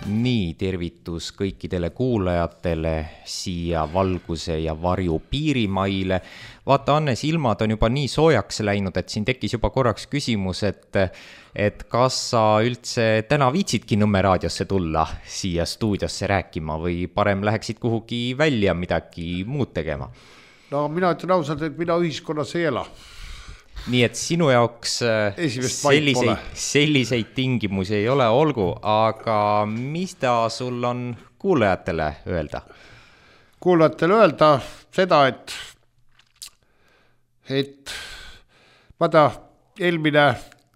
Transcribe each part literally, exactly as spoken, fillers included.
Nii, tervitus kõikidele kuulajatele siia valguse ja varju piirimaile. Vaata, Annes, ilmad on juba nii soojaks läinud, et siin tekkis juba korraks küsimus, et, et kas sa üldse täna viitsidki Nõmme raadiosse tulla siia stuudiosse rääkima või parem läheksid kuhugi välja midagi muud tegema? No mina ütlen ausalt, et mina ühiskonnas ei ela. Nii et sinu jaoks selliseid, selliseid tingimusi ei ole, olgu, aga mis ta sul on kuulajatele öelda? Kuulajatele öelda seda, et, et ma ta eelmine,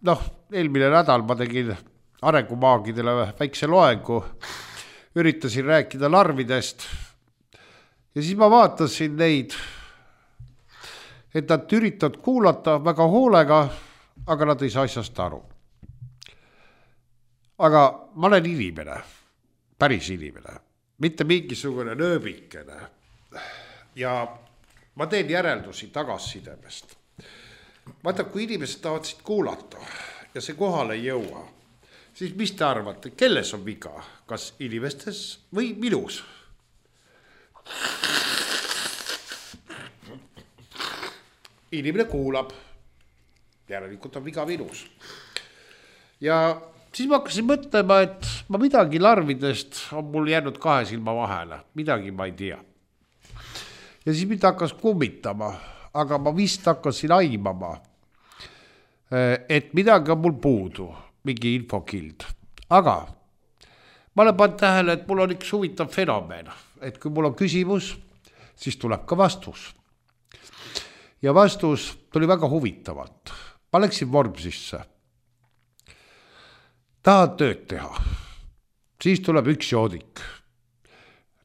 noh, eelmine nädal ma tegin arengumaagidele väikse loengu, üritasin rääkida larvidest ja siis ma vaatasin neid, et nad üritavad kuulata väga hoolega, aga nad ei saa asjast aru. Aga ma olen inimene, päris inimene, mitte mingisugune nööbikene. Ja ma teen järeldusi tagassidemest. Vaata, kui inimesed tahavad siit kuulata ja see kohale ei jõua, siis mis te arvate, kelles on viga? Kas inimestes või minus? Inimene kuulab, järelikult on viga minus. Ja siis ma hakkasin mõtlema, et ma midagi larvidest on mul jäänud kahe silma vahele, midagi ma ei tea. Ja siis mind hakkas kummitama, aga ma vist hakkasin aimama, et midagi on mul puudu, mingi infokild. Aga ma olen pannud tähele, et mul on üks huvitav fenomen, et kui mul on küsimus, siis tuleb ka vastus. Ja vastus tuli väga huvitavalt. Ma läksin Vormsisse. Tahad tööd teha. Siis tuleb üks joodik.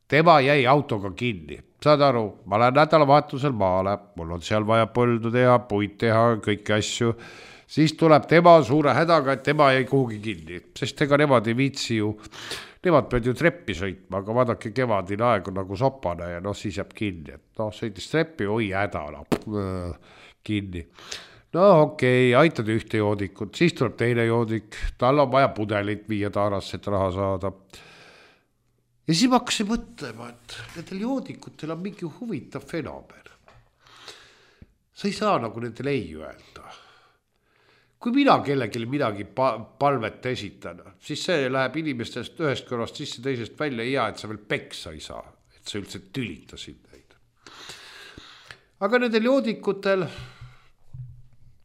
Tema jäi autoga kinni. Saad aru, ma olen nädalavahetusel maale. Mul on seal vaja põldu teha, puid teha, kõiki asju. Siis tuleb tema suure hädaga, et tema jäi kuhugi kinni. Sest ega nemad ei viitsi ju. Nemad peavad ju treppi sõitma, aga vaadake kevadine aeg on nagu sopane ja noh, siis jääb kinni. Et noh, sõitis treppi, oi häda, no, kinni. No okei, okay, aitad ühte joodikut, siis tuleb teine joodik, tal on vaja pudelit viia taarasse, et raha saada. Ja siis ma hakkasin mõtlema, et nendel joodikutel on mingi huvitav fenomen. Sa ei saa nagu nendel ei öelda. Kui mina kellelegi midagi palvet esitan, siis see läheb inimestest ühest kõrvast sisse teisest välja ja et sa veel peksa ei saa, et sa üldse tülitasid neid. Aga nendel joodikutel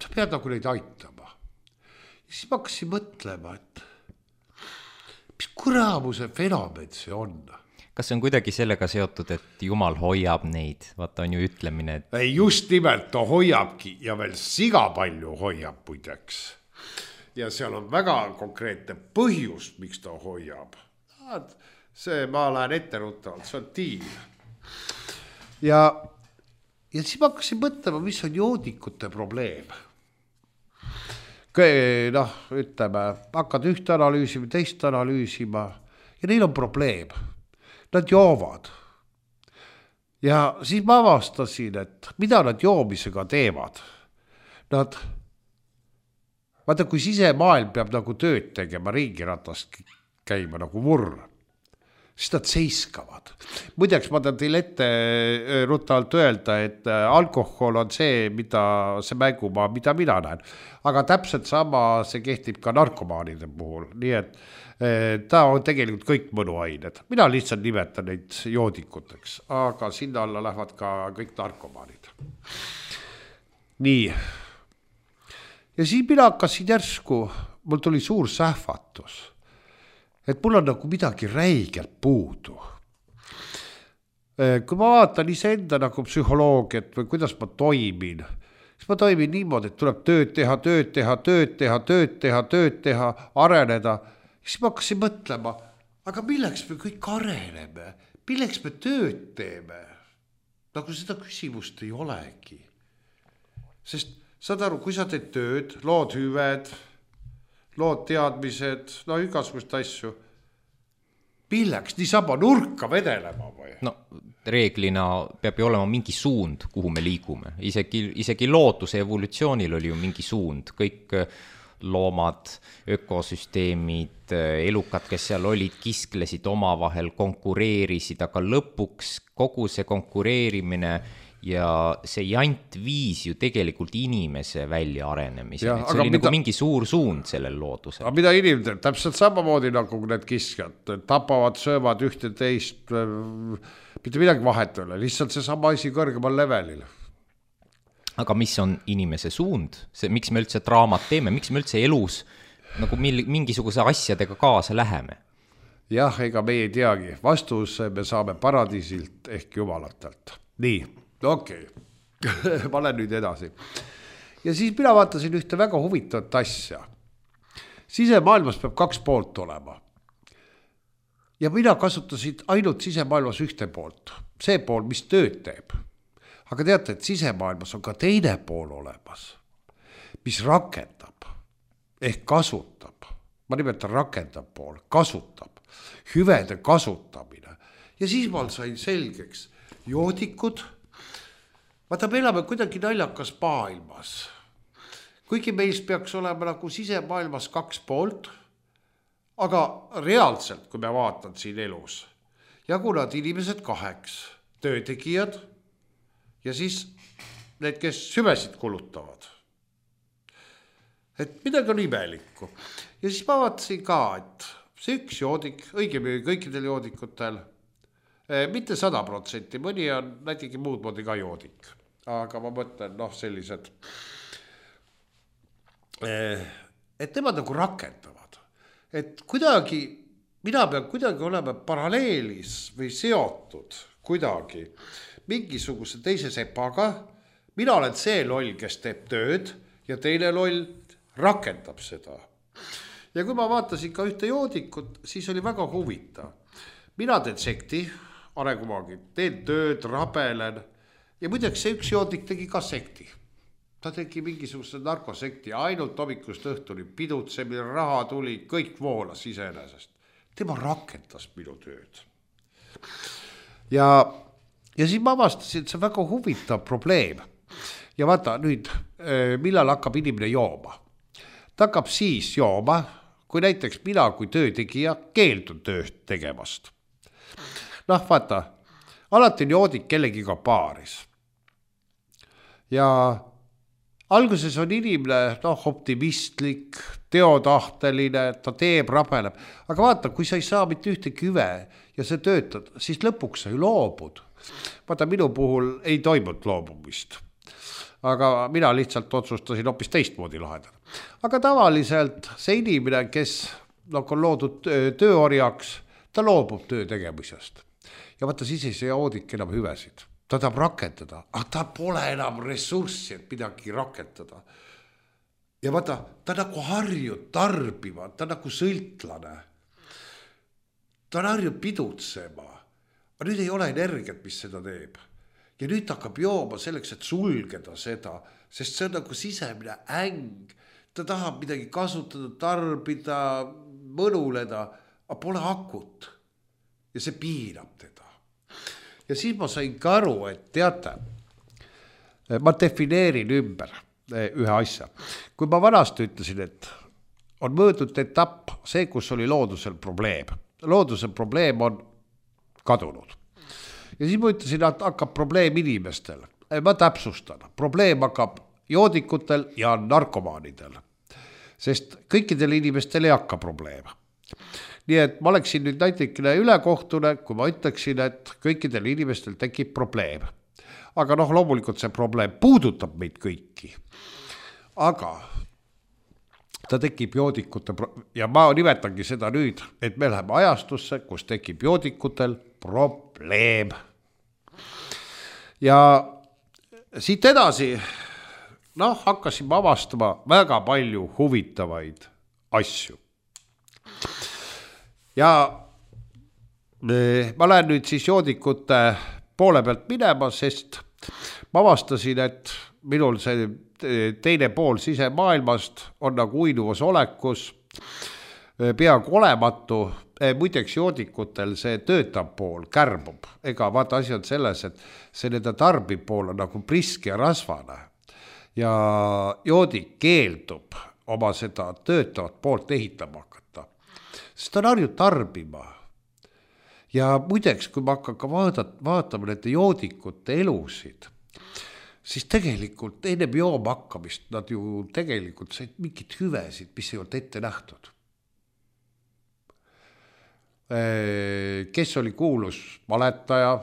sa pead nagu neid aitama. Ja siis ma hakkasin mõtlema, et mis kuramuse fenomen see on. Kas see on kuidagi sellega seotud, et Jumal hoiab neid? Vaata on ju ütlemine, et... Ei, just nimelt ta hoiabki ja veel siga palju hoiab muideks. Ja seal on väga konkreetne põhjus, miks ta hoiab. See, ma lähen ette ruttavalt, see on tiim. Ja, ja siis ma hakkasin mõtlema, mis on joodikute probleem. Noh, ütleme, hakkad ühte analüüsima, teist analüüsima ja neil on probleem. Nad joovad. Ja siis ma avastasin, et mida nad joomisega teevad. Nad, vaata, kui sisemaailm peab nagu tööd tegema, ringiratast käima nagu vurr, siis nad seiskavad. Muideks ma tahan teile ette ruttavalt öelda, et alkohol on see, mida see mängumaa, mida mina näen. Aga täpselt sama see kehtib ka narkomaanide puhul. Nii et ta on tegelikult kõik mõnuained. Mina lihtsalt nimetan neid joodikuteks, aga sinna alla lähevad ka kõik narkomaanid. Nii. Ja siis mina hakkasin järsku, mul tuli suur sähvatus, et mul on nagu midagi räigelt puudu. Kui ma vaatan iseenda nagu psühholoogiat või kuidas ma toimin, siis ma toimin niimoodi, et tuleb tööd teha, tööd teha, tööd teha, tööd teha, tööd teha, areneda. Siis ma hakkasin mõtlema, aga milleks me kõik areneme? Milleks me tööd teeme? Nagu seda küsimust ei olegi. Sest saad aru, kui sa teed tööd, lood hüved, lood teadmised, no igasugust asju. Milleks niisama nurka vedelema või? No reeglina peab ju olema mingi suund, kuhu me liigume. Isegi, isegi looduse evolutsioonil oli ju mingi suund. Kõik loomad, ökosüsteemid, elukad, kes seal olid, kisklesid omavahel, konkureerisid, aga lõpuks kogu see konkureerimine ja see jant viis ju tegelikult inimese välja arenemise. Ja, see oli mida, nagu mingi suur suund sellel loodusel. Aga mida inimene teeb? Täpselt samamoodi nagu need kiskjad, tapavad, söövad ühte teist, mitte midagi vahet ei ole, lihtsalt see sama asi kõrgemal levelil. Aga mis on inimese suund? See, miks me üldse draamat teeme? Miks me üldse elus nagu mingisuguse asjadega kaasa läheme? Jah, ega me ei teagi. Vastus me saame paradiisilt ehk jumalatelt. Nii, okei. Okay. Ma olen nüüd edasi. Ja siis mina vaatasin ühte väga huvitavat asja. Sisemaailmas peab kaks poolt olema. Ja mina kasutasin ainult sisemaailmas ühte poolt. See pool, mis tööd teeb. Aga teate, et sisemaailmas on ka teine pool olemas, mis rakendab ehk kasutab. Ma nimetan rakendab pool, kasutab, hüvede kasutamine. Ja siis ma sain selgeks joodikud. Vaata, me elame kuidagi naljakas maailmas. Kuigi meis peaks olema nagu sisemaailmas kaks poolt, aga reaalselt, kui me vaatan siin elus, jagunevad inimesed kaheks, töötegijad, ja siis need, kes süvesid kulutavad. Et midagi on imelikku. Ja siis ma vaatasin ka, et see üks joodik, õigemini kõikidel joodikutel, mitte sada protsenti, mõni on näitegi muud moodi ka joodik. Aga ma mõtlen, noh, sellised, et nemad nagu rakendavad. Et kuidagi, mina pean kuidagi olema paralleelis või seotud kuidagi mingisuguse teise sepaga, mina olen see loll, kes teeb tööd ja teine loll rakendab seda. Ja kui ma vaatasin ka ühte joodikut, siis oli väga huvitav. Mina teen sekti, arengumaagi, teen tööd, rabelen ja muideks see üks joodik tegi ka sekti. Ta tegi mingisuguse narkosekti, ainult hommikust õhtuni pidutsemine, raha tuli, kõik voolas iseenesest. Tema rakendas minu tööd. Ja Ja siis ma avastasin, et see on väga huvitav probleem. Ja vaata nüüd, millal hakkab inimene jooma. Ta hakkab siis jooma, kui näiteks mina kui töötegija keeldun tööd tegemast. Noh, vaata, alati on joodik kellegiga paaris. Ja alguses on inimene noh, optimistlik, teotahteline, ta teeb, rabeleb. Aga vaata, kui sa ei saa mitte ühte küve ja sa töötad, siis lõpuks sa ju loobud. Vaata, minu puhul ei toimunud loobumist. Aga mina lihtsalt otsustasin hoopis teistmoodi lahendada. Aga tavaliselt see inimene, kes nagu on loodud tööorjaks, ta loobub töö tegemisest. Ja vaata, siis ei see joodik enam hüvesid. Ta tahab rakendada, aga ta pole enam ressurssi, et midagi rakendada. Ja vaata, ta nagu harjub tarbima, ta nagu sõltlane. Ta harjub pidutsema. Aga nüüd ei ole energiat, mis seda teeb. Ja nüüd hakkab jooma selleks, et sulgeda seda, sest see on nagu sisemine äng. Ta tahab midagi kasutada, tarbida, mõnuleda, aga pole akut. Ja see piirab teda. Ja siis ma sain ka aru, et teate, ma defineerin ümber ühe asja. Kui ma vanasti ütlesin, et on möödud etapp see, kus oli loodusel probleem. Loodusel probleem on kadunud. Ja siis ma ütlesin, et hakkab probleem inimestel. Ma täpsustan. Probleem hakkab joodikutel ja narkomaanidel. Sest kõikidel inimestel ei hakka probleem. Nii et ma oleksin nüüd näitekine ülekohtune, kui ma ütleksin, et kõikidel inimestel tekib probleem. Aga noh, loomulikult see probleem puudutab meid kõiki. Aga ta tekib joodikute, ja ma nimetangi seda nüüd, et me läheme ajastusse, kus tekib joodikutel probleem. Ja siit edasi, noh, hakkasime avastama väga palju huvitavaid asju. Ja ma lähen nüüd siis joodikute poole pealt minema, sest ma avastasin, et minul see teine pool sisemaailmast on nagu uinuvas olekus, peaaegu olematu. Muideks joodikutel see töötab pool kärbub. Ega vaata asi on selles, et see nende tarbib pool on nagu priske ja rasvane. Ja joodik keeldub oma seda töötavat poolt ehitama hakata. Sest ta on harjunud tarbima. Ja muideks, kui ma hakkan ka vaadat, vaatama nende joodikute elusid, siis tegelikult ennem jooma hakkamist nad ju tegelikult said mingid hüvesid, mis ei olnud ette nähtud. Kes oli kuulus valetaja,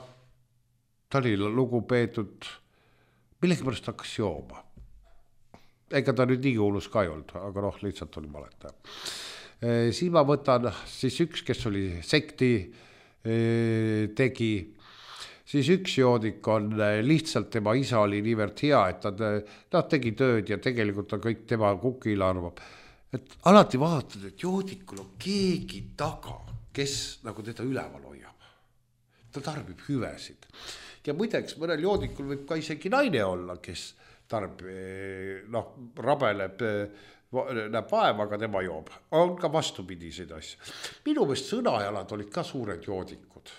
ta oli lugupeetud, millegi pärast hakkas jooma. Ega ta nüüd nii kuulus ka ei olnud, aga noh, lihtsalt oli valetaja. Siin ma võtan siis üks, kes oli sekti tegi, siis üks joodik on lihtsalt tema isa oli niivõrd hea, et ta, ta tegi tööd ja tegelikult ta kõik tema kukil arvab. Et alati vaatad, et joodikul on keegi taga, kes nagu teda üleval hoiab. Ta tarbib hüvesid. Ja muideks mõnel joodikul võib ka isegi naine olla, kes tarbib, noh, rabeleb, näeb vaeva, aga tema joob. On ka vastupidiseid asju. Minu meelest sõnajalad olid ka suured joodikud.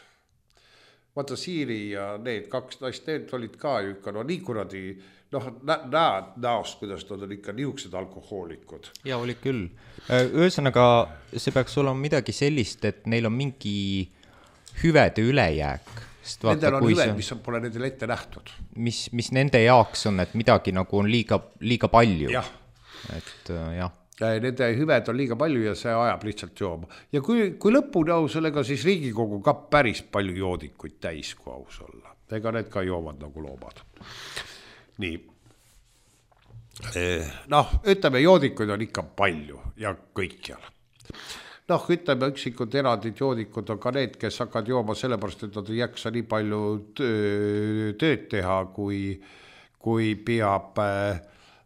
Vaata Siiri ja need kaks naist, need olid ka ikka, no nii kuradi, noh, näed näost, kuidas nad on ikka niisugused alkohoolikud. Ja oli küll. Ühesõnaga, see peaks olema midagi sellist, et neil on mingi hüvede ülejääk. Nendel on hüved, mis on, pole nendel ette nähtud. Mis, mis nende jaoks on, et midagi nagu on liiga, liiga palju. Jah. Et jah. Nende hüved on liiga palju ja see ajab lihtsalt jooma. Ja kui, kui lõpuni aus sellega, siis Riigikogu ka päris palju joodikuid täis, kui aus olla. Ega need ka joovad nagu loomad. Nii. Noh, ütleme, joodikuid on ikka palju ja kõikjal. Noh, ütleme, üksikud erandid joodikud on ka need, kes hakkad jooma sellepärast, et nad ei jaksa nii palju tööd teha, kui, kui peab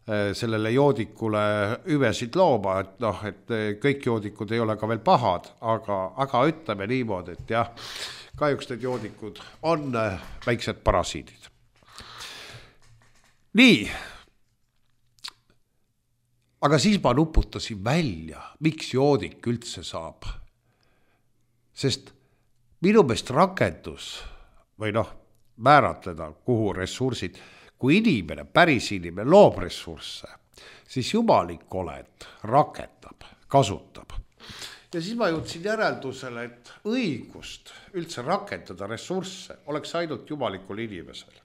sellele joodikule hüvesid looma, et noh, et kõik joodikud ei ole ka veel pahad, aga, aga ütleme niimoodi, et jah, kahjuks need joodikud on väiksed parasiidid. Nii, aga siis ma nuputasin välja, miks joodik üldse saab. Sest minu meelest rakendus või noh, määratleda, kuhu ressursid, kui inimene, päris inimene loob ressursse, siis jumalik oled, rakendab, kasutab. Ja siis ma jõudsin järeldusele, et õigust üldse rakendada ressursse oleks ainult jumalikul inimesel.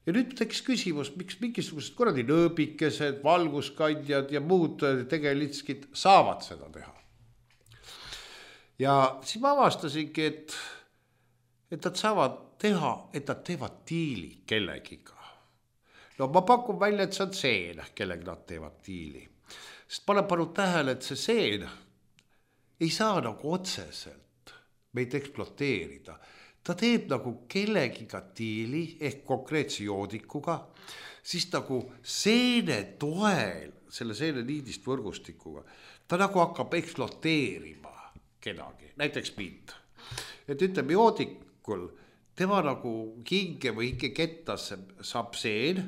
Ja nüüd tekkis küsimus, miks mingisugused kuradi nööbikesed, valguskandjad ja muud tegelitskid saavad seda teha. Ja siis ma avastasingi, et, et nad saavad teha, et nad teevad diili kellegiga. No ma pakun välja, et see on seen, kellega nad teevad diili. Sest ma olen pannud tähele, et see seen ei saa nagu otseselt meid eksploateerida. Ta teeb nagu kellegiga diili ehk konkreetse joodikuga, siis nagu seene toel, selle seene niidist võrgustikuga, ta nagu hakkab eksploateerima kedagi, näiteks mind. Et ütleme joodikul, tema nagu hinge või hinge kettasse saab seen,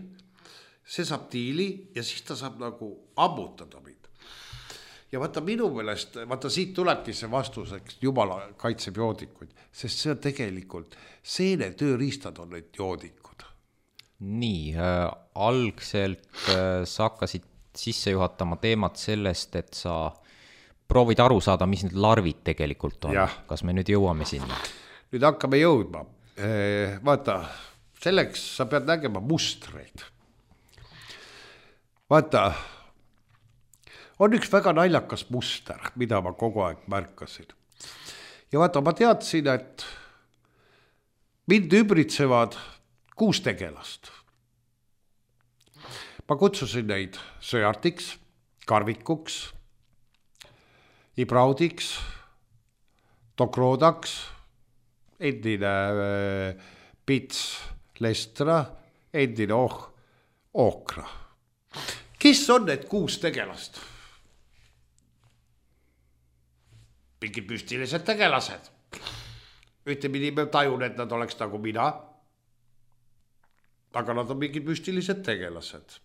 see saab diili ja siis ta saab nagu ammutada mind. Ja vaata minu meelest, vaata siit tulebki see vastuseks, jumala kaitseb joodikuid, sest see on tegelikult, seene tööriistad on need joodikud. Nii, äh, algselt äh, sa hakkasid sisse juhatama teemat sellest, et sa proovid aru saada, mis need larvid tegelikult on. Ja. Kas me nüüd jõuame sinna? Nüüd hakkame jõudma. E, vaata, selleks sa pead nägema mustreid. Vaata, on üks väga naljakas muster, mida ma kogu aeg märkasin. Ja vaata, ma teadsin, et mind ümbritsevad kuus tegelast. Ma kutsusin neid söjartiks, karvikuks, ibraudiks, tokroodaks, endine pits lestra, endine oh, okra. Kes on need kuus tegelast? Mingid müstilised tegelased. Ühtepidi me tajun, et nad oleks nagu mina, aga nad on mingid müstilised tegelased.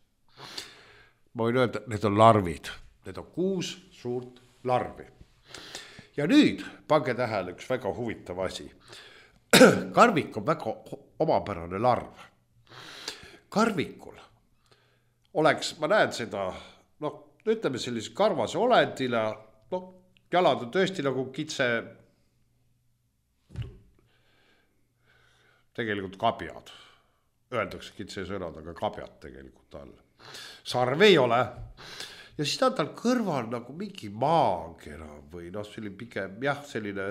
Ma võin öelda, need on larvid. Need on kuus suurt larvi. Ja nüüd pange tähele üks väga huvitav asi. Karvik on väga omapärane larv. Karvikul oleks, ma näen seda, noh, ütleme sellise karvase olendile, noh, jalad on tõesti nagu kitse, tegelikult kabjad. Öeldakse kitse sõnad, aga kabjad tegelikult all. Sarv ei ole. Ja siis ta on tal kõrval nagu mingi maakera või noh, selline pigem, jah, selline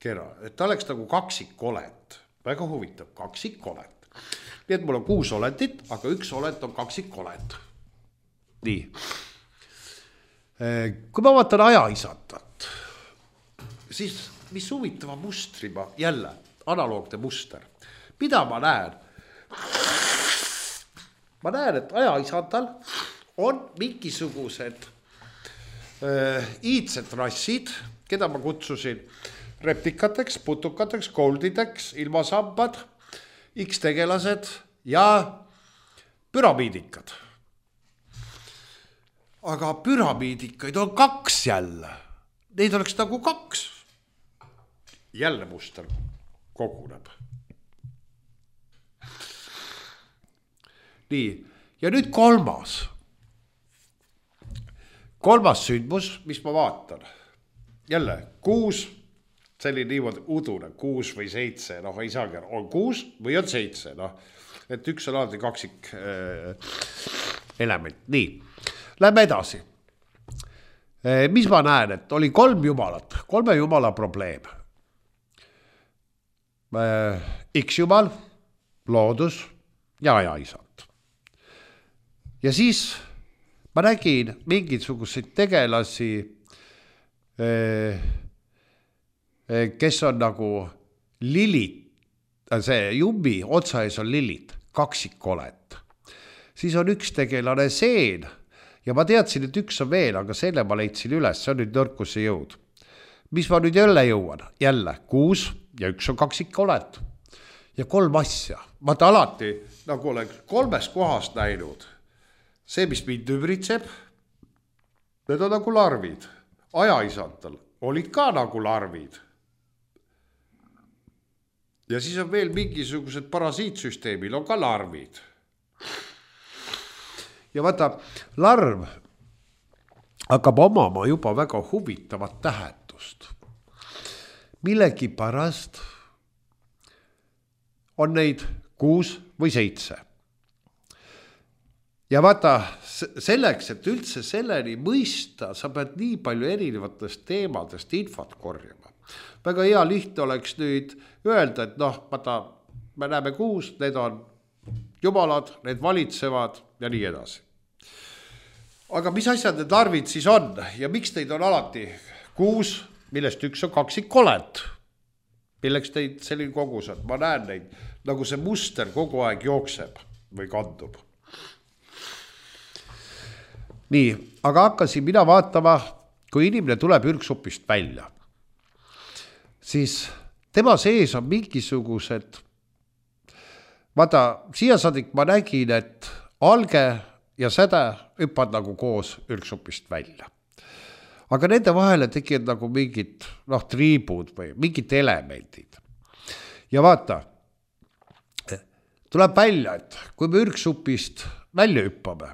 kera. Et ta oleks nagu kaksikolet. Väga huvitav, kaksikolet. Nii et mul on kuus olendit, aga üks olend on kaksikolet. Nii. Kui ma vaatan ajaisatat, siis mis huvitava mustri ma jälle, analoogne muster. Mida ma näen? Ma näen, et ajaisatal on mingisugused äh, iidsed rassid, keda ma kutsusin replikateks, putukateks, goldideks, ilmasambad, X-tegelased ja püramiidikad. Aga püramiidikaid on kaks jälle. Neid oleks nagu kaks. Jälle muster koguneb. Nii, ja nüüd kolmas. Kolmas sündmus, mis ma vaatan. Jälle, kuus, selline niimoodi udune, kuus või seitse, noh, ei saagi, on kuus või on seitse, noh, et üks on alati kaksik äh, element. Nii, lähme edasi. E, mis ma näen, et oli kolm jumalat, kolme jumala probleem. E, X-jumal, loodus ja ajaisad. Ja siis ma nägin mingisuguseid tegelasi, kes on nagu lilid, see jumbi otsaes on lilid, kaksikolet. Siis on üks tegelane seen ja ma teadsin, et üks on veel, aga selle ma leidsin üles, see on nüüd nõrkuse jõud. Mis ma nüüd jälle jõuan? Jälle kuus ja üks on kaksikolet. Ja kolm asja. Ma ta alati nagu olen kolmes kohas näinud. See, mis mind ümbritseb, need on nagu larvid. Ajaisantal olid ka nagu larvid. Ja siis on veel mingisugused parasiitsüsteemil on ka larvid. Ja vaata, larv hakkab omama juba väga huvitavat tähendust. Millegi pärast on neid kuus või seitse. Ja vaata, selleks, et üldse selleni mõista, sa pead nii palju erinevatest teemadest infot korjama. Väga hea lihtne oleks nüüd öelda, et noh, vaata, me näeme kuus, need on jumalad, need valitsevad ja nii edasi. Aga mis asjad need larvid siis on ja miks neid on alati kuus, millest üks on kaksikolet? Milleks teid selline kogus on? Ma näen neid, nagu see muster kogu aeg jookseb või kandub. Nii, aga hakkasin mina vaatama, kui inimene tuleb ürgsupist välja, siis tema sees on mingisugused, vaata, siia saadik ma nägin, et alge ja säde hüppad nagu koos ürgsupist välja. Aga nende vahele tekivad nagu mingid, noh, triibud või mingid elemendid. Ja vaata, tuleb välja, et kui me ürgsupist välja hüppame,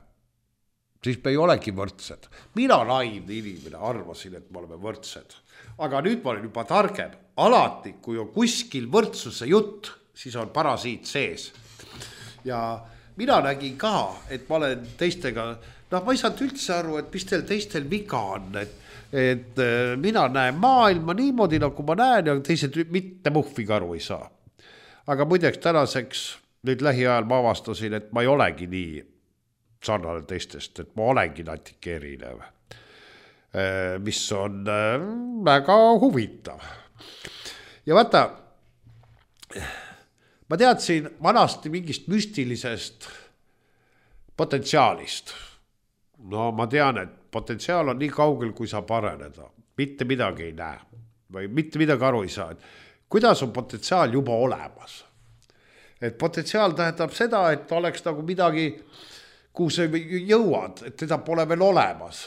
siis me ei olegi võrdsed. Mina naivne inimene arvasin, et me oleme võrdsed. Aga nüüd ma olen juba targem. Alati, kui on kuskil võrdsuse jutt, siis on parasiit sees. Ja mina nägin ka, et ma olen teistega, noh, ma ei saanud üldse aru, et mis teil teistel viga on, et, et mina näen maailma niimoodi, nagu ma näen, ja teised mitte muhviga aru ei saa. Aga muideks tänaseks, nüüd lähiajal ma avastasin, et ma ei olegi nii sarnane teistest, et ma olengi natuke erinev, mis on väga huvitav. Ja vaata, ma teadsin vanasti mingist müstilisest potentsiaalist. No ma tean, et potentsiaal on nii kaugel, kui saab areneda. Mitte midagi ei näe või mitte midagi aru ei saa. Kuidas on potentsiaal juba olemas? Et potentsiaal tähendab seda, et oleks nagu midagi, kuhu sa jõuad, et teda pole veel olemas.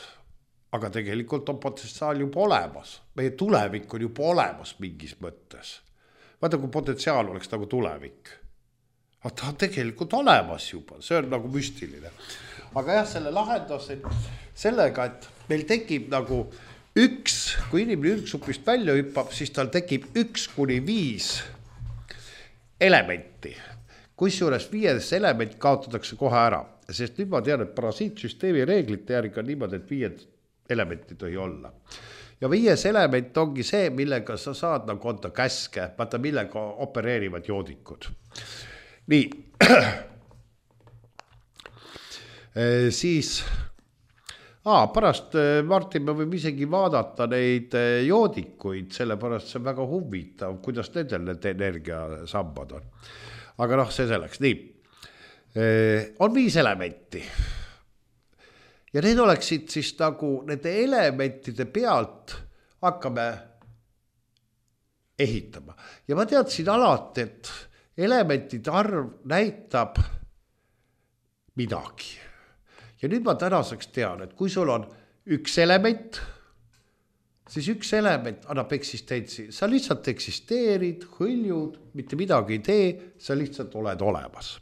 Aga tegelikult on potentsiaal juba olemas. Meie tulevik on juba olemas mingis mõttes. Vaata, kui potentsiaal oleks nagu tulevik. aga ta on tegelikult olemas juba, see on nagu müstiline. Aga jah, selle lahendasin sellega, et meil tekib nagu üks, kui inimene ürgsupist välja hüppab, siis tal tekib üks kuni viis elementi. Kusjuures viies element kaotatakse kohe ära, sest nüüd ma tean, et parasiitsüsteemi reeglite järgi on niimoodi, et viied elementi tohi olla. Ja viies element ongi see, millega sa saad nagu anda käske, vaata millega opereerivad joodikud. Nii, siis aa, pärast Martin, me võime isegi vaadata neid joodikuid, sellepärast see on väga huvitav, kuidas nendel need energiasambad on. Aga noh, see selleks, nii, on viis elementi ja need oleksid siis nagu nende elementide pealt hakkame ehitama. Ja ma teadsin alati, et elementide arv näitab midagi. Ja nüüd ma tänaseks tean, et kui sul on üks element, siis üks element annab eksistentsi. Sa lihtsalt eksisteerid, hõljud, mitte midagi ei tee, sa lihtsalt oled olemas.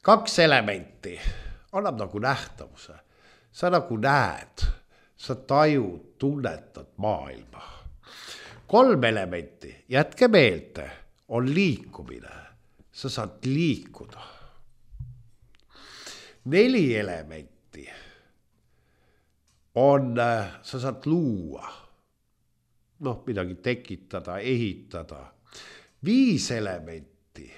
Kaks elementi annab nagu nähtavuse. Sa nagu näed, sa tajud, tunnetad maailma. Kolm elementi, jätke meelde, on liikumine. Sa saad liikuda. Neli elementi on, sa saad luua, noh, midagi tekitada, ehitada. Viis elementi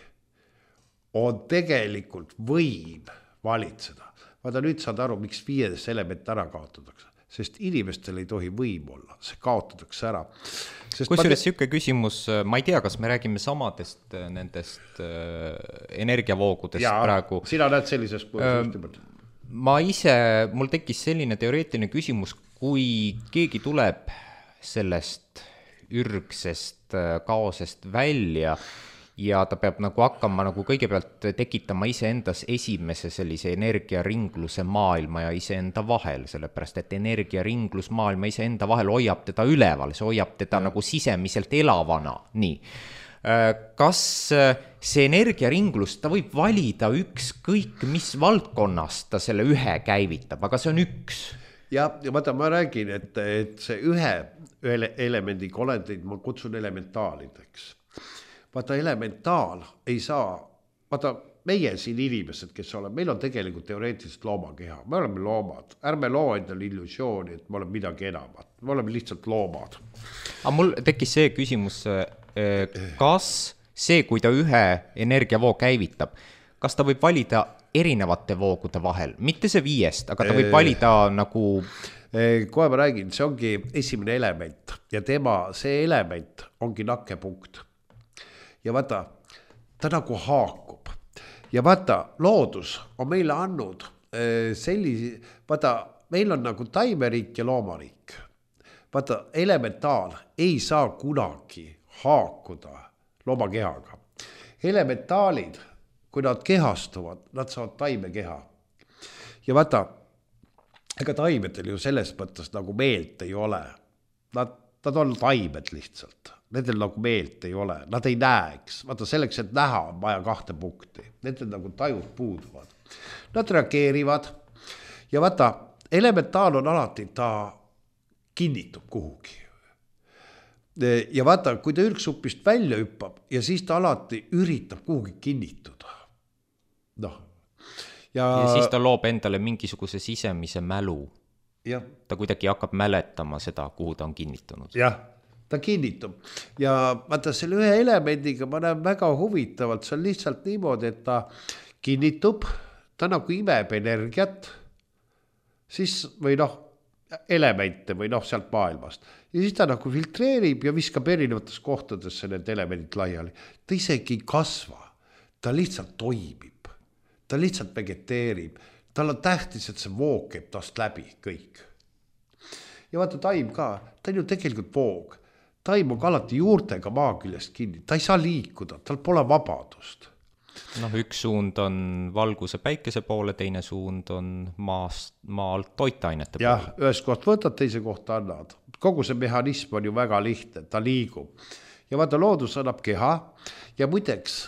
on tegelikult võim valitseda. Vaata, nüüd saad aru, miks viies element ära kaotatakse, sest inimestel ei tohi võim olla, see kaotatakse ära. Kusjuures siuke küsimus, ma ei tea, kas me räägime samadest nendest äh, energiavoogudest ja, praegu. Sina näed sellises põhjustimelt. Ma ise, mul tekkis selline teoreetiline küsimus, kui keegi tuleb sellest ürgsest kaosest välja ja ta peab nagu hakkama nagu kõigepealt tekitama iseendas esimese sellise energiaringluse maailma ja iseenda vahel, sellepärast et energiaringlus maailma iseenda vahel hoiab teda üleval, see hoiab teda ja. Nagu sisemiselt elavana, nii. Kas see energiaringlus, ta võib valida ükskõik mis valdkonnas ta selle ühe käivitab, aga see on üks. Ja, ja vaata, ma räägin, et, et see ühe elemendiga olendid ma kutsun elementaalideks. Vaata, elementaal ei saa, vaata, meie siin inimesed, kes oleme, meil on tegelikult teoreetiliselt loomakeha. Me oleme loomad, ärme loo endale illusiooni, et me oleme midagi enamat. Me oleme lihtsalt loomad. Aga mul tekkis see küsimus, kas see, kui ta ühe energiavoo käivitab, kas ta võib valida erinevate voogude vahel, mitte see viiest, aga ta võib valida nagu... Kohe ma räägin, see ongi esimene element ja tema, see element ongi nakkepunkt. Ja vaata, ta nagu haakub. Ja vaata, loodus on meile andnud sellisi, vaata, meil on nagu taimeriik ja loomariik. Vaata, elementaal ei saa kunagi haakuda loomakehaga. Elementaalid, kui nad kehastuvad, nad saavad taimekeha. Ja vaata, ega taimedel ju selles mõttes nagu meelt ei ole. Nad, nad on taimed lihtsalt. Nendel nagu meelt ei ole. Nad ei näeks. Vaata, selleks, et näha on vaja kahte punkti. Nendel nagu tajud puuduvad. Nad reageerivad. Ja vaata, elementaal on alati, ta kinnitub kuhugi. Ja vaata, kui ta ürgsupist välja hüppab ja siis ta alati üritab kuhugi kinnituda. Noh. Ja, ja siis ta loob endale mingisuguse sisemise mälu. Ja. Ta kuidagi hakkab mäletama seda, kuhu ta on kinnitunud. Jah, ta kinnitub. Ja vaata, selle ühe elemendiga ma näen väga huvitavalt, see on lihtsalt niimoodi, et ta kinnitub, ta nagu imeb energiat, siis või noh, elemente või noh, sealt maailmast. Ja siis ta nagu filtreerib ja viskab erinevates kohtadesse need elemendid laiali. Ta isegi ei kasva, ta lihtsalt toimib, ta lihtsalt vegeteerib, tal on tähtis, et see voog käib tast läbi kõik. Ja vaata, taim ka, ta on ju tegelikult voog. Taim on alati juurtega maa küljest kinni, ta ei saa liikuda, tal pole vabadust. Noh, üks suund on valguse päikese poole, teine suund on maast, maalt toitainete ja, poole. Ja, ühest koht võtad, teise kohta annad. Kogu see mehhanism on ju väga lihtne, ta liigub. Ja vaata, loodus annab keha ja muideks,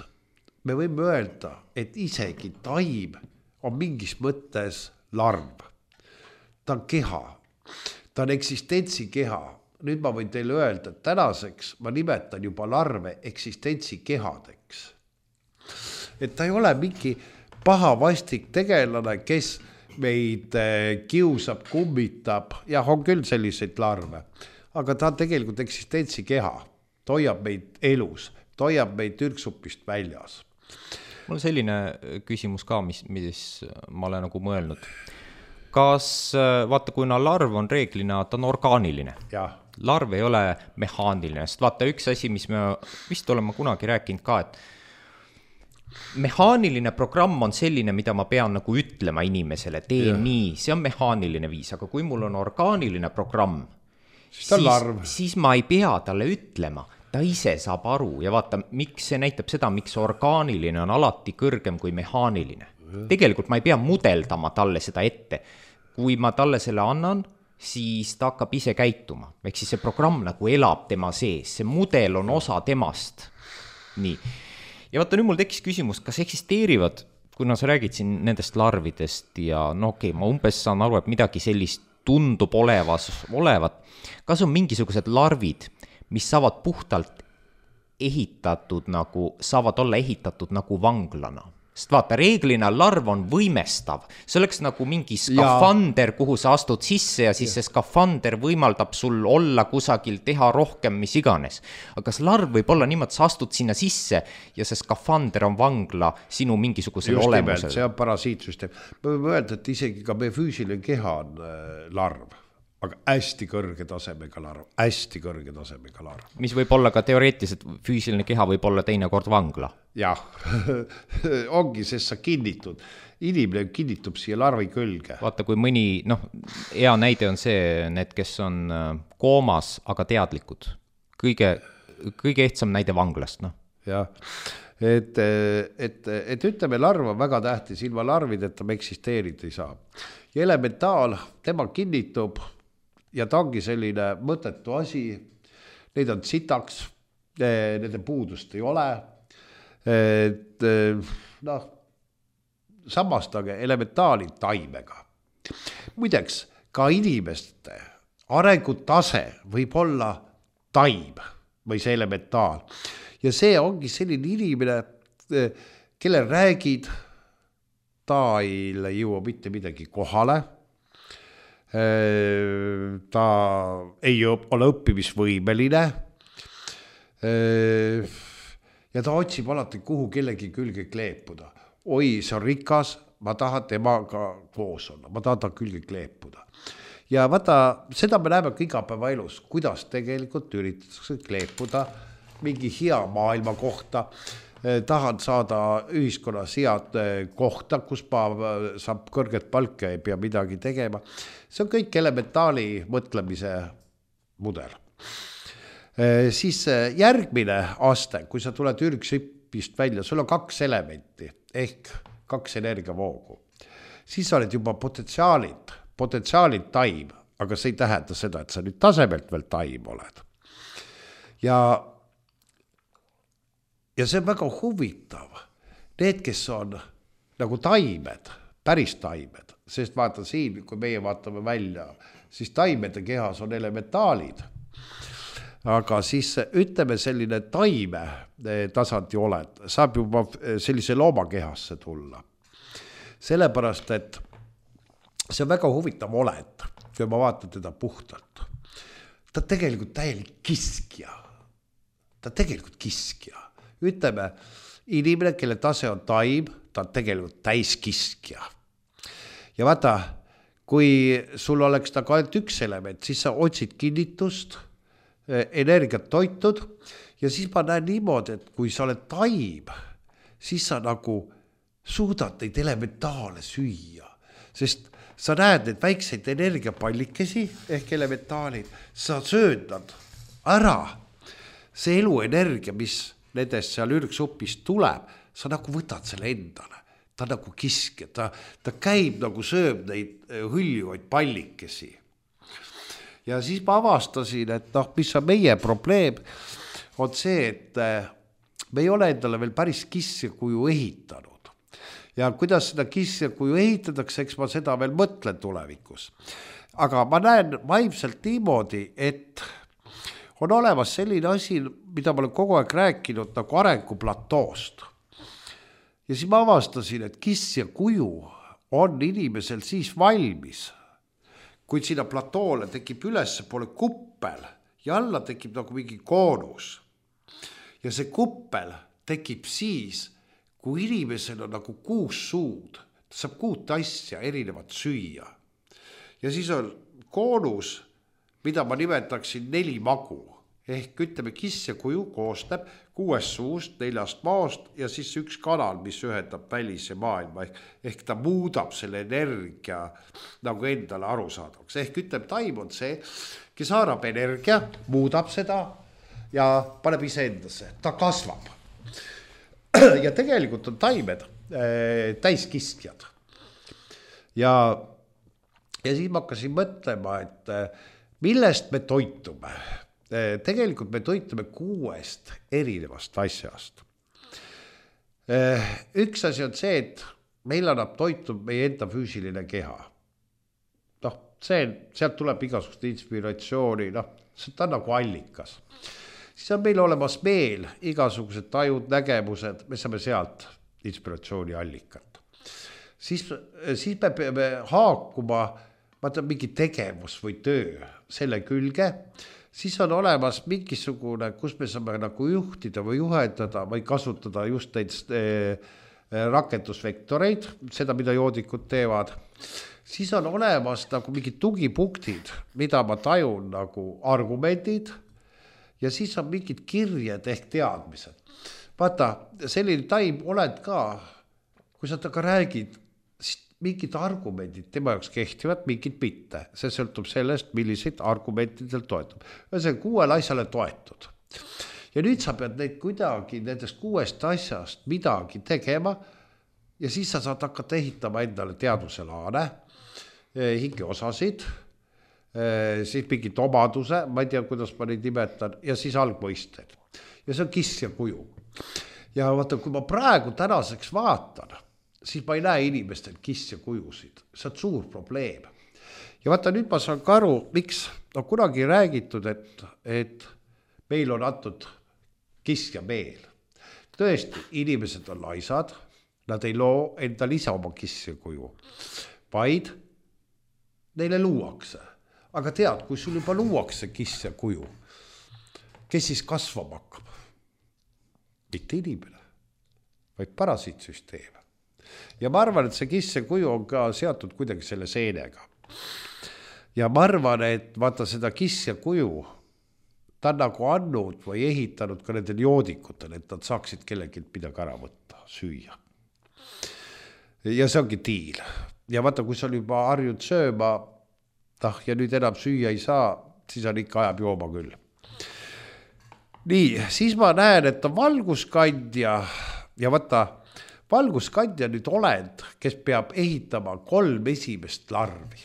me võime öelda, et isegi taim on mingis mõttes larv. Ta on keha, ta on eksistentsi keha. Nüüd ma võin teile öelda, et tänaseks ma nimetan juba larve eksistentsi kehadeks. Et ta ei ole mingi paha vastik tegelane, kes meid kiusab, kummitab. Jah, on küll selliseid larve, aga ta on tegelikult eksistentsi keha. Ta hoiab meid elus, ta hoiab meid ürksupist väljas. Mul on selline küsimus ka, mis, mis ma olen nagu mõelnud. Kas, vaata, kuna larv on reeglina, ta on orgaaniline. Jah. Larv ei ole mehaaniline, sest vaata üks asi, mis me vist oleme kunagi rääkinud ka, et mehaaniline programm on selline, mida ma pean nagu ütlema inimesele, tee ja. Nii, see on mehaaniline viis, aga kui mul on orgaaniline programm, siis, siis, siis ma ei pea talle ütlema, ta ise saab aru ja vaata, miks see näitab seda, miks orgaaniline on alati kõrgem kui mehaaniline. Ja. Tegelikult ma ei pea mudeldama talle seda ette. Kui ma talle selle annan, siis ta hakkab ise käituma. Ehk siis see programm nagu elab tema sees, see mudel on osa temast. Nii. Ja vaata, nüüd mul tekkis küsimus, kas eksisteerivad, kuna sa räägid siin nendest larvidest ja no okei, okay, ma umbes saan aru, et midagi sellist tundub olevas, olevat. Kas on mingisugused larvid, mis saavad puhtalt ehitatud nagu, saavad olla ehitatud nagu vanglana? Sest vaata, reeglina larv on võimestav. See oleks nagu mingi skafander, kuhu sa astud sisse ja siis ja. See skafander võimaldab sul olla kusagil, teha rohkem, mis iganes. Aga kas larv võib olla niimoodi, sa astud sinna sisse ja see skafander on vangla sinu mingisugusel just olemusel? Just see on parasiitsüsteem. Me võime öelda, et isegi ka meie füüsiline keha on äh, larv. Aga hästi kõrge tasemega larv, hästi kõrge tasemega larv. Mis võib olla ka teoreetiliselt, füüsiline keha võib olla teinekord vangla. Jah, ongi, sest sa kinnitud. Inimene kinnitub siia larvi külge. Vaata, kui mõni, noh, hea näide on see, need, kes on koomas, aga teadlikud. Kõige, kõige ehtsam näide vanglast, noh. Jah, et, et, et ütleme, larv on väga tähtis, ilma larvideta me eksisteerida ei saa. Ja elementaal, tema kinnitub, ja ta ongi selline mõttetu asi, neid on sitaks, nende puudust ei ole, et noh, samastage elementaalid taimega. Muideks, ka inimeste arengutase võib olla taim või see elementaal. Ja see ongi selline inimene, kelle räägid, ta ei jõua mitte midagi kohale, ta ei ole õppimisvõimeline ja ta otsib alati kuhu kellegi külge kleepuda. Oi, see on rikas, ma tahan temaga koos olla, ma tahan ta külge kleepuda. Ja vaata, seda me näeme ka igapäeva elus, kuidas tegelikult üritatakse kleepuda mingi hea maailma kohta, tahan saada ühiskonnas head kohta, kus ma saab kõrget palka ja ei pea midagi tegema. See on kõik elementaali mõtlemise mudel. Siis järgmine aste, kui sa tuled ürgsipist välja, sul on kaks elementi ehk kaks energiavoogu. Siis sa oled juba potentsiaalid, potentsiaalid taim, aga see ei tähenda seda, et sa nüüd tasemelt veel taim oled. Ja Ja see on väga huvitav. Need, kes on nagu taimed, päris taimed, sest vaata siin, kui meie vaatame välja, siis taimede kehas on elementaalid. Aga siis ütleme selline taime tasandi oled, saab juba sellise looma kehasse tulla. Sellepärast, et see on väga huvitav oled, kui ma vaatan teda puhtalt. Ta tegelikult täielik kiskja. Ta tegelikult kiskja. Ütleme, inimene, kelle tase on taim, ta on tegelikult täiskiskja. Ja vaata, kui sul oleks nagu ainult üks element, siis sa otsid kinnitust, energiat toitud ja siis ma näen niimoodi, et kui sa oled taim, siis sa nagu suudad neid elementaale süüa, sest sa näed neid väikseid energiapallikesi ehk elementaalid, sa söödad ära see eluenergia, mis nendest seal ürgsupist tuleb, sa nagu võtad selle endale. Ta nagu kiske, ta, ta käib nagu sööb neid hüljuvaid pallikesi. Ja siis ma avastasin, et noh, mis on meie probleem, on see, et me ei ole endale veel päris kissja kuju ehitanud. Ja kuidas seda kissja kuju ehitatakse, eks ma seda veel mõtlen tulevikus. Aga ma näen vaimselt niimoodi, et on olemas selline asi, mida ma olen kogu aeg rääkinud nagu arenguplantoost. Ja siis ma avastasin, et kissja kuju on inimesel siis valmis, kui sinna platoole tekib ülesse poole kuppel ja alla tekib nagu mingi koonus. Ja see kuppel tekib siis, kui inimesel on nagu kuus suud, ta saab kuut asja erinevat süüa. Ja siis on koonus, mida ma nimetaksin neli magu. Ehk ütleme, kissja kuju koostab kuuest suust, neljast maost ja siis üks kanal, mis ühendab välise maailma. Ehk, ehk ta muudab selle energia nagu endale arusaadavaks. Ehk ütleme, taim on see, kes haarab energia, muudab seda ja paneb ise endasse. Ta kasvab. Ja tegelikult on taimed äh, täiskistjad. Ja, ja siis ma hakkasin mõtlema, et äh, millest me toitume. Tegelikult me toitume kuuest erinevast asjast. Üks asi on see, et meil annab toitu meie enda füüsiline keha. No, see, sealt tuleb igasugust inspiratsiooni, no, see on nagu allikas. Siis on meil olemas meel, igasugused tajud, nägemused, me saame sealt inspiratsiooni allikat. Siis, siis me peame haakuma, vaata, mingi tegevus või töö selle külge, siis on olemas mingisugune, kus me saame nagu juhtida või juhendada või kasutada just neid rakendusvektoreid, seda, mida joodikud teevad. Siis on olemas nagu mingid tugipunktid, mida ma tajun nagu argumendid ja siis on mingid kirjed ehk teadmised. Vaata, selline taim oled ka, kui sa taga räägid, siis mingid argumendid tema jaoks kehtivad, mingid mitte. See sõltub sellest, milliseid argumentidel toetab. See on kuuel asjale toetud. Ja nüüd sa pead neid kuidagi nendest kuuest asjast midagi tegema ja siis sa saad hakata ehitama endale teadvuselaane, hingeosasid, siis mingid omaduse, ma ei tea, kuidas ma neid nimetan, ja siis algmõisted. Ja see on kissja kuju. Ja vaata, kui ma praegu tänaseks vaatan, siis ma ei näe inimestel kissja kujusid. See on suur probleem. Ja vaata, nüüd ma saan ka aru, miks on kunagi räägitud, et, et meil on antud kissja meel. Tõesti, inimesed on laisad, nad ei loo endal ise oma kissja kuju, vaid neile luuakse. Aga tead, kui sul juba luuakse kissja kuju, kes siis kasvama hakkab? Mitte inimene, vaid parasiitsüsteem. Ja ma arvan, et see kissja kuju on ka seatud kuidagi selle seenega. Ja ma arvan, et vaata seda kissja kuju, ta on nagu andnud või ehitanud ka nendel joodikutel, et nad saaksid kellelgi midagi ära võtta, süüa. Ja see ongi diil. Ja vaata, kui sa juba harjud sööma, tah, ja nüüd enam süüa ei saa, siis on ikka ajab jooma küll. Nii, siis ma näen, et on valguskandja ja vaata, valguskandja nüüd olend, kes peab ehitama kolm esimest larvi.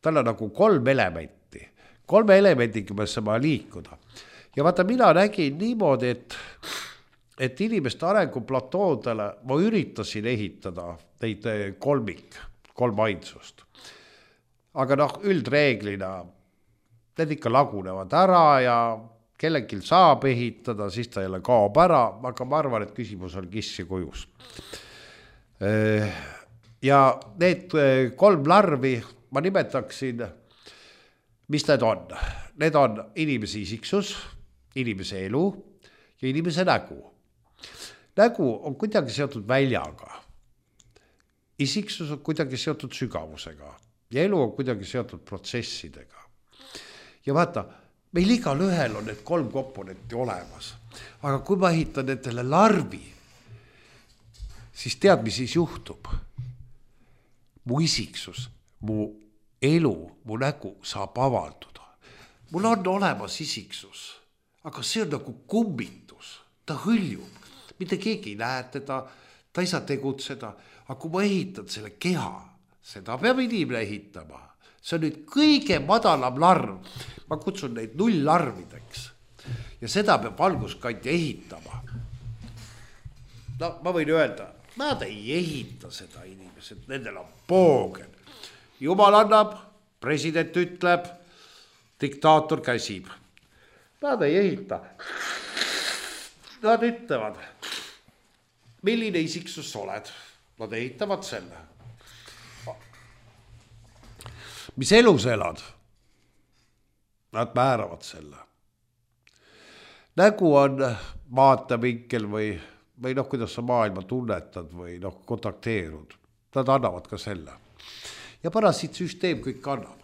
Tal on nagu kolm elementi. Kolme elemendiga me saame liikuda. Ja vaata, mina nägin niimoodi, et, et inimeste arenguplatoodele ma üritasin ehitada neid kolmik, kolm ainsust. Aga noh, üldreeglina need ikka lagunevad ära ja kellelgi saab ehitada, siis ta jälle kaob ära, aga ma arvan, et küsimus on kissja kujus. Ja need kolm larvi ma nimetaksin, mis need on? Need on inimese isiksus, inimese elu ja inimese nägu. Nägu on kuidagi seotud väljaga. Isiksus on kuidagi seotud sügavusega ja elu on kuidagi seotud protsessidega. Ja vaata, meil igal ühel on need kolm komponenti olemas. Aga kui ma ehitan nendele larvi, siis tead, mis siis juhtub? Mu isiksus, mu elu, mu nägu saab avalduda. Mul on olemas isiksus, aga see on nagu kummitus. Ta hõljub. Mitte keegi ei näe teda, ta ei saa tegutseda. Aga kui ma ehitan selle keha, seda peab inimene ehitama. See on nüüd kõige madalam larv. Ma kutsun neid null larvideks. ja seda peab valguskandja ehitama. No ma võin öelda, nad ei ehita seda inimesed, nendel on poogen. Jumal annab, president ütleb, diktaator käsib. Nad ei ehita. Nad ütlevad, milline isiksus oled. Nad ehitavad selle. Mis elus elad? Nad määravad selle. Nägu on vaatevinkel või, või noh, kuidas sa maailma tunnetad või noh, kontakteerud. Nad annavad ka selle. Ja parasiitsüsteem kõik annab.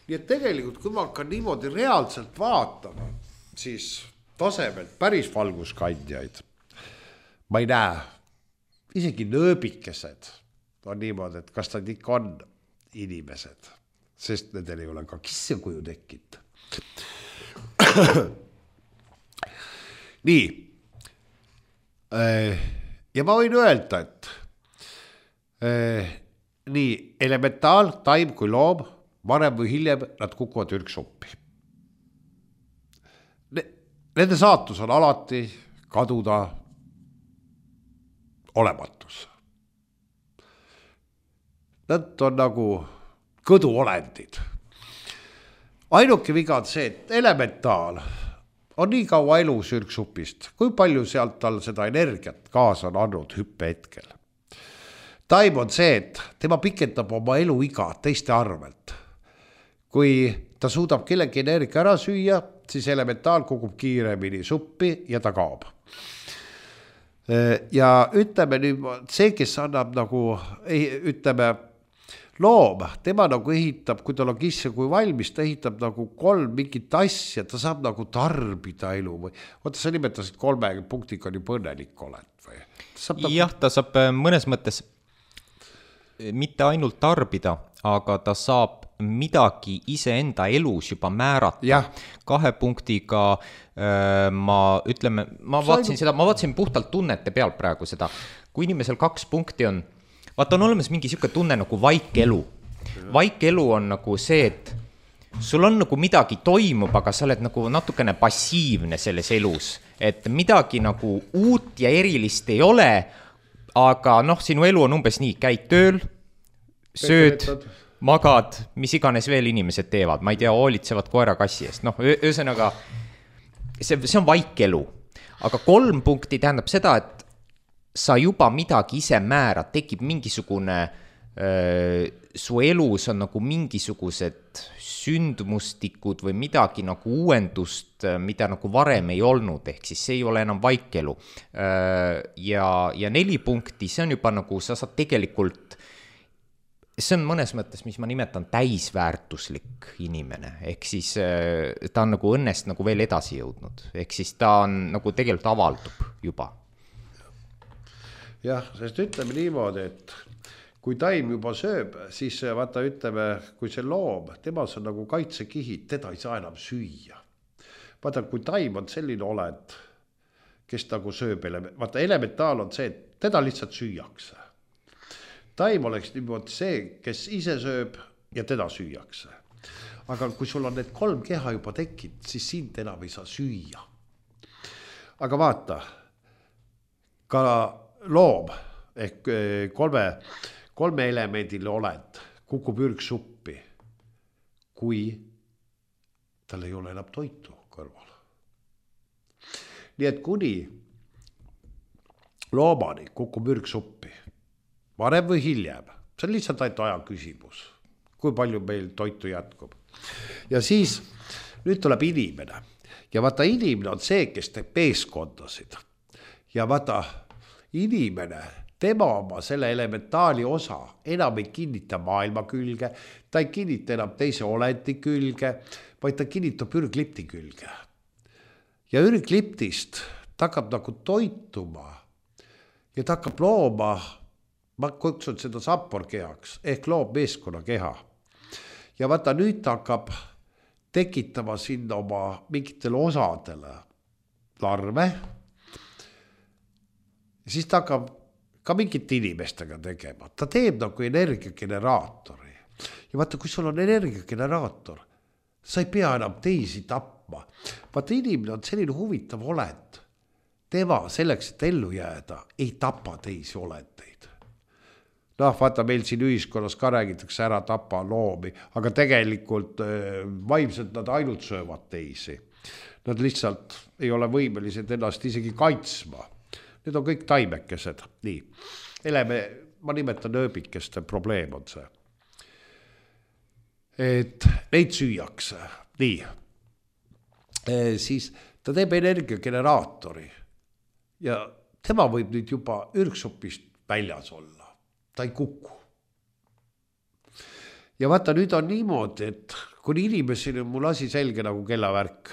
Nii et tegelikult, kui ma hakkan niimoodi reaalselt vaatama, siis tasemelt päris valguskandjaid ma ei näe. Isegi nööbikesed on niimoodi, et kas nad ikka on inimesed, sest nendel ei ole ka kissekuju tekkinud. Nii. Ja ma võin öelda, et nii elementaal, taim kui loom, varem või hiljem nad kukuvad ürksuppi. Nende saatus on alati kaduda olematus. Nad on nagu kõduolendid. Ainuke viga on see, et elementaal on nii kaua elus ürksupist, kui palju sealt tal seda energiat kaasa on andnud hüppe hetkel. Taim on see, et tema pikendab oma elu iga teiste arvelt. Kui ta suudab kellegi energia ära süüa, siis elementaal kukub kiiremini suppi ja ta kaob. Ja ütleme nüüd, see, kes annab nagu, ütleme, loom, tema nagu ehitab, kui tal on kisse kui valmis, ta ehitab nagu kolm mingit asja, ta saab nagu tarbida elu või, oota, sa nimetasid kolme punktiga nii põnelik oled või? Nagu... Jah, ta saab mõnes mõttes mitte ainult tarbida, aga ta saab midagi iseenda elus juba määrata. Ja. Kahe punktiga äh, ma ütleme, ma vaatasin seda, ma vaatasin puhtalt tunnete peal praegu seda, kui inimesel kaks punkti on, vaata on olemas mingi siuke tunne nagu vaikelu. Vaikelu on nagu see, et sul on nagu midagi toimub, aga sa oled nagu natukene passiivne selles elus, et midagi nagu uut ja erilist ei ole, aga noh, sinu elu on umbes nii, käid tööl, sööd, magad, mis iganes veel inimesed teevad, ma ei tea, hoolitsevad koera kassi eest, noh, ühesõnaga, see, see on vaikelu, aga kolm punkti tähendab seda, et sa juba midagi ise määrad, tekib mingisugune, öö, su elus on nagu mingisugused sündmustikud või midagi nagu uuendust, mida nagu varem ei olnud, ehk siis see ei ole enam vaikelu. Ja, ja neli punkti, see on juba nagu, sa saad tegelikult, see on mõnes mõttes, mis ma nimetan täisväärtuslik inimene, ehk siis ta on nagu õnnest nagu veel edasi jõudnud, ehk siis ta on nagu tegelikult avaldub juba. Jah, sest ütleme niimoodi, et kui taim juba sööb, siis vaata ütleme, kui see loom, temas on nagu kaitsekihid, teda ei saa enam süüa. Vaata, kui taim on selline olend, kes nagu sööb, vaata elementaal on see, et teda lihtsalt süüakse. Taim oleks niimoodi see, kes ise sööb ja teda süüakse. Aga kui sul on need kolm keha juba tekkinud, siis sind enam ei saa süüa. Aga vaata, ka loom ehk kolme, kolme elemendile olend kukub ürgsuppi, kui tal ei ole enam toitu kõrval. Nii et kuni loomani kukub ürgsuppi, varem või hiljem, see on lihtsalt ainult aja küsimus, kui palju meil toitu jätkub. Ja siis nüüd tuleb inimene ja vaata inimene on see, kes teeb meeskondasid ja vaata inimene, tema oma selle elementaali osa enam ei kinnita maailma külge, ta ei kinnita enam teise olendi külge, vaid ta kinnitab ürglipti külge. Ja ürgliptist ta hakkab nagu toituma ja ta hakkab looma, ma kutsun seda sapporkehaks, ehk loob meeskonna keha. Ja vaata nüüd ta hakkab tekitama sinna oma mingitele osadele larve, siis ta hakkab ka mingite inimestega tegema. Ta teeb nagu energiageneraatori. Ja vaata, kui sul on energiageneraator, sa ei pea enam teisi tapma. Vaata, inimene on selline huvitav olend. Tema selleks, et ellu jääda, ei tapa teisi olendeid. Noh, vaata, meil siin ühiskonnas ka räägitakse ära tapa loomi, aga tegelikult vaimselt nad ainult söövad teisi. Nad lihtsalt ei ole võimelised ennast isegi kaitsma. Need on kõik taimekesed. Nii. Eleme, ma nimetan ööbikeste probleem on see. Et neid süüakse. Nii. E, siis ta teeb energiageneraatori ja tema võib nüüd juba ürgsupist väljas olla. Ta ei kuku. Ja vaata, nüüd on niimoodi, et kui inimesel on mul asi selge nagu kellavärk,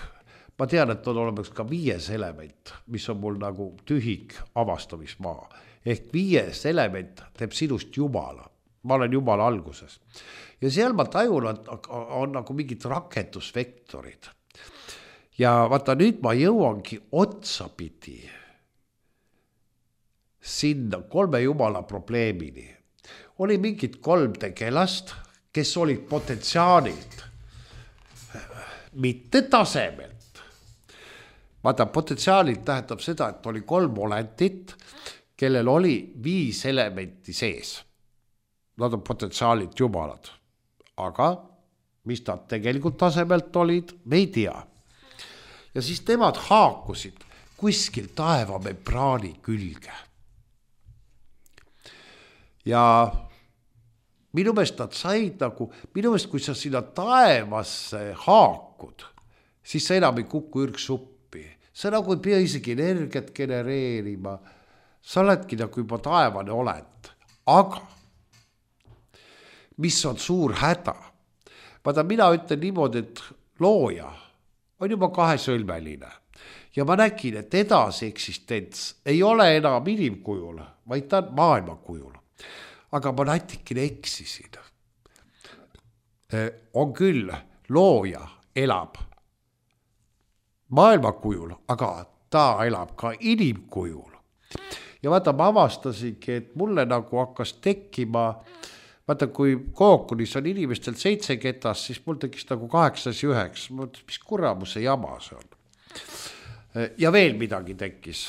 ma tean, et on olemas ka viies element, mis on mul nagu tühik avastamismaa. Ehk viies element teeb sinust jumala. Ma olen jumala alguses. Ja seal ma tajun, on, on nagu mingid rakendusvektorid. Ja vaata, nüüd ma jõuangi otsapidi sinna kolme jumala probleemini. Oli mingid kolm tegelast, kes olid potentsiaalilt, mitte tasemelt. Vaata, potentsiaalilt tähendab seda, et oli kolm olendit, kellel oli viis elementi sees. Nad on potentsiaalilt jumalad. Aga mis nad tegelikult tasemelt olid, me ei tea. Ja siis temad haakusid kuskil taevamembraani külge. Ja minu meelest nad said nagu, minu meelest kui sa sinna taevasse haakud, siis sa enam ei kuku ürgsuppi. Sa nagu ei pea isegi energiat genereerima. Sa oledki nagu juba taevane olend. Aga mis on suur häda? Vaata, mina ütlen niimoodi, et looja on juba kahesõlmeline. Ja ma nägin, et edasi eksistents ei ole enam inimkujul, vaid ta on maailmakujul. Aga ma natikene eksisin. On küll, looja elab maailmakujul, aga ta elab ka inimkujul. Ja vaata, ma avastasingi, et mulle nagu hakkas tekkima, vaata, kui kookunis on inimestel seitse ketas, siis mul tekkis nagu kaheksas ja üheks. Ma mõtlesin, mis kuramuse jama see on. Ja veel midagi tekkis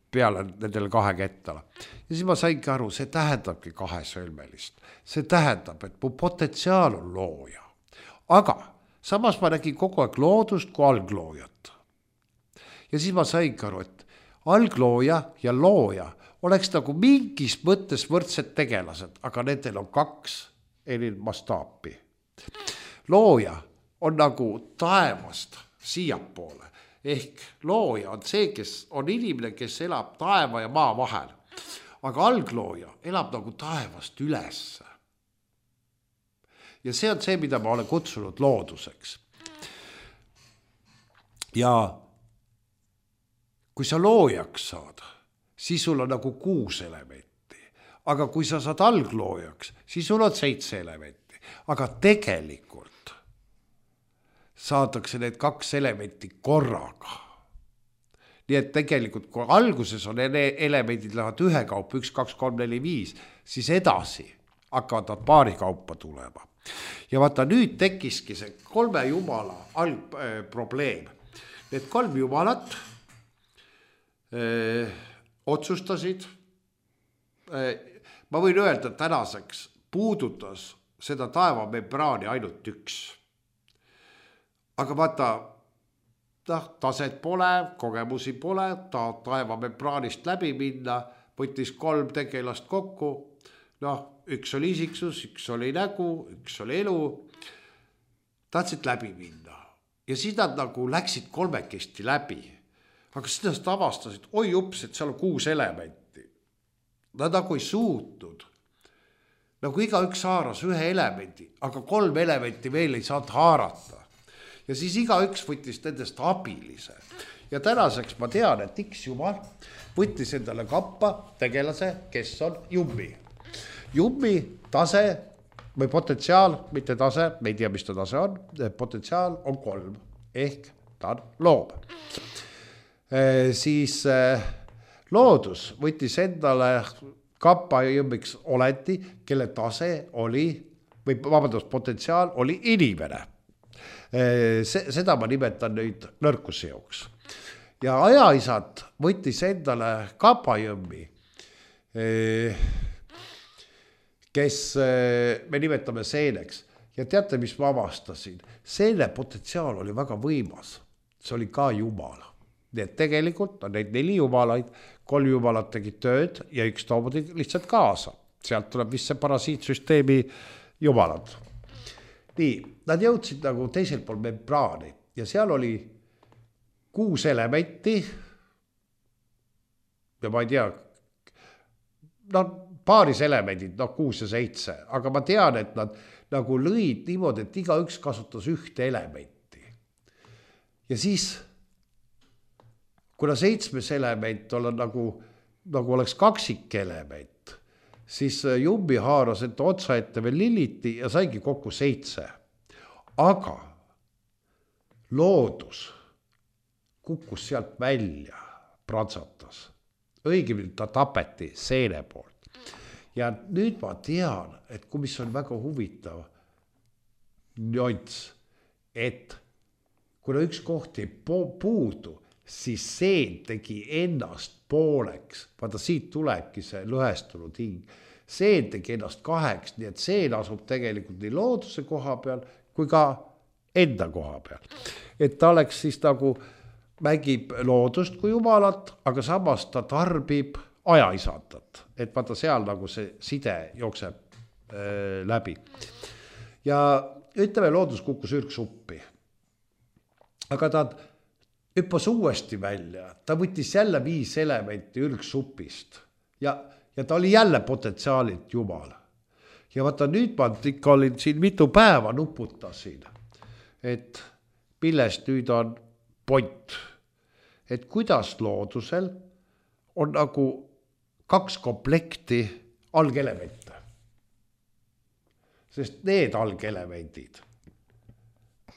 peale nendele kahe kettale. Ja siis ma saingi aru, see tähendabki kahesõlmelist. See tähendab, et mu potentsiaal on looja. Aga samas ma nägin kogu aeg loodust kui algloojat. Ja siis ma saingi aru, et alglooja ja looja oleks nagu mingis mõttes võrdsed tegelased, aga nendel on kaks eri mastaapi. Looja on nagu taevast siiapoole. Ehk looja on see, kes on inimene, kes elab taeva ja maa vahel. Aga alglooja elab nagu taevast ülesse. Ja see on see, mida ma olen kutsunud looduseks. Ja kui sa loojaks saad, siis sul on nagu kuus elementi. Aga kui sa saad algloojaks, siis sul on seitse elementi. Aga tegelikult saadakse need kaks elementi korraga. Nii et tegelikult, kui alguses on elemendid lähevad ühe kaupa, üks, kaks, kolm, neli, viis, siis edasi hakkavad nad paari kaupa tulema. Ja vaata, nüüd tekkiski see kolme jumala alg, äh, probleem. Need kolm jumalat öö, otsustasid, öö, ma võin öelda, et tänaseks puudutas seda taevamembraani ainult üks. Aga vaata, taset pole, kogemusi pole, ta taevamembraanist läbi minna, võttis kolm tegelast kokku, noh, üks oli isiksus, üks oli nägu, üks oli elu, tahtsid läbi minna. Ja siis nad nagu läksid kolmekesti läbi, aga siis nad avastasid, oi ups, et seal on kuus elementi. Nad nagu ei suutnud. Nagu iga üks haaras ühe elemendi, aga kolm elementi veel ei saanud haarata. Ja siis iga üks võttis nendest abilise. Ja tänaseks ma tean, et X jumal võttis endale kappa tegelase, kes on jummi. Jummi tase või potentsiaal, mitte tase, me ei tea, mis ta tase on, potentsiaal on kolm, ehk ta on loom. E, siis e, loodus võttis endale kappa jummiks oleti, kelle tase oli, või vabandust, potentsiaal oli inimene. Se, seda ma nimetan nüüd nõrkusseoks. Ja ajaisad võttis endale Kapajõmmi, kes me nimetame seeneks. Ja teate, mis ma avastasin? Seene potentsiaal oli väga võimas. See oli ka jumal. Nii et tegelikult on neid neli jumalaid, kolm jumalat tegid tööd ja üks toomudi lihtsalt kaasa. Sealt tuleb vist see parasiitsüsteemi jumalad. Nii, nad jõudsid nagu teisel pool membraani ja seal oli kuus elementi ja ma ei tea, no paaris elemendid, no kuus ja seitse, aga ma tean, et nad nagu lõid niimoodi, et iga üks kasutas ühte elementi. Ja siis, kuna seitsmes element on nagu, nagu oleks kaksik element, siis Jumbi haaras ette otsa ette veel Liliti ja saigi kokku seitse. Aga loodus kukkus sealt välja, pratsatas. Õigemini ta tapeti seene poolt. Ja nüüd ma tean, et kui mis on väga huvitav nüanss, et kuna üks koht ei puudu, siis seen tegi ennast pooleks. Vaata, siit tulebki see lõhestunud hing. Seen tegi ennast kaheks, nii et seen asub tegelikult nii looduse koha peal, kui ka enda koha peal. Et ta oleks siis nagu, mängib loodust kui jumalat, aga samas ta tarbib ajaisatat. Et vaata seal nagu see side jookseb äh, läbi. Ja ütleme, loodus kukkus ürgsuppi. Aga ta hüppas uuesti välja, ta võttis jälle viis elementi ürgsupist ja, ja ta oli jälle potentsiaalilt jumal. Ja vaata nüüd ma ikka olin siin mitu päeva nuputasin, et millest nüüd on point, et kuidas loodusel on nagu kaks komplekti algelemente. Sest need algelemendid,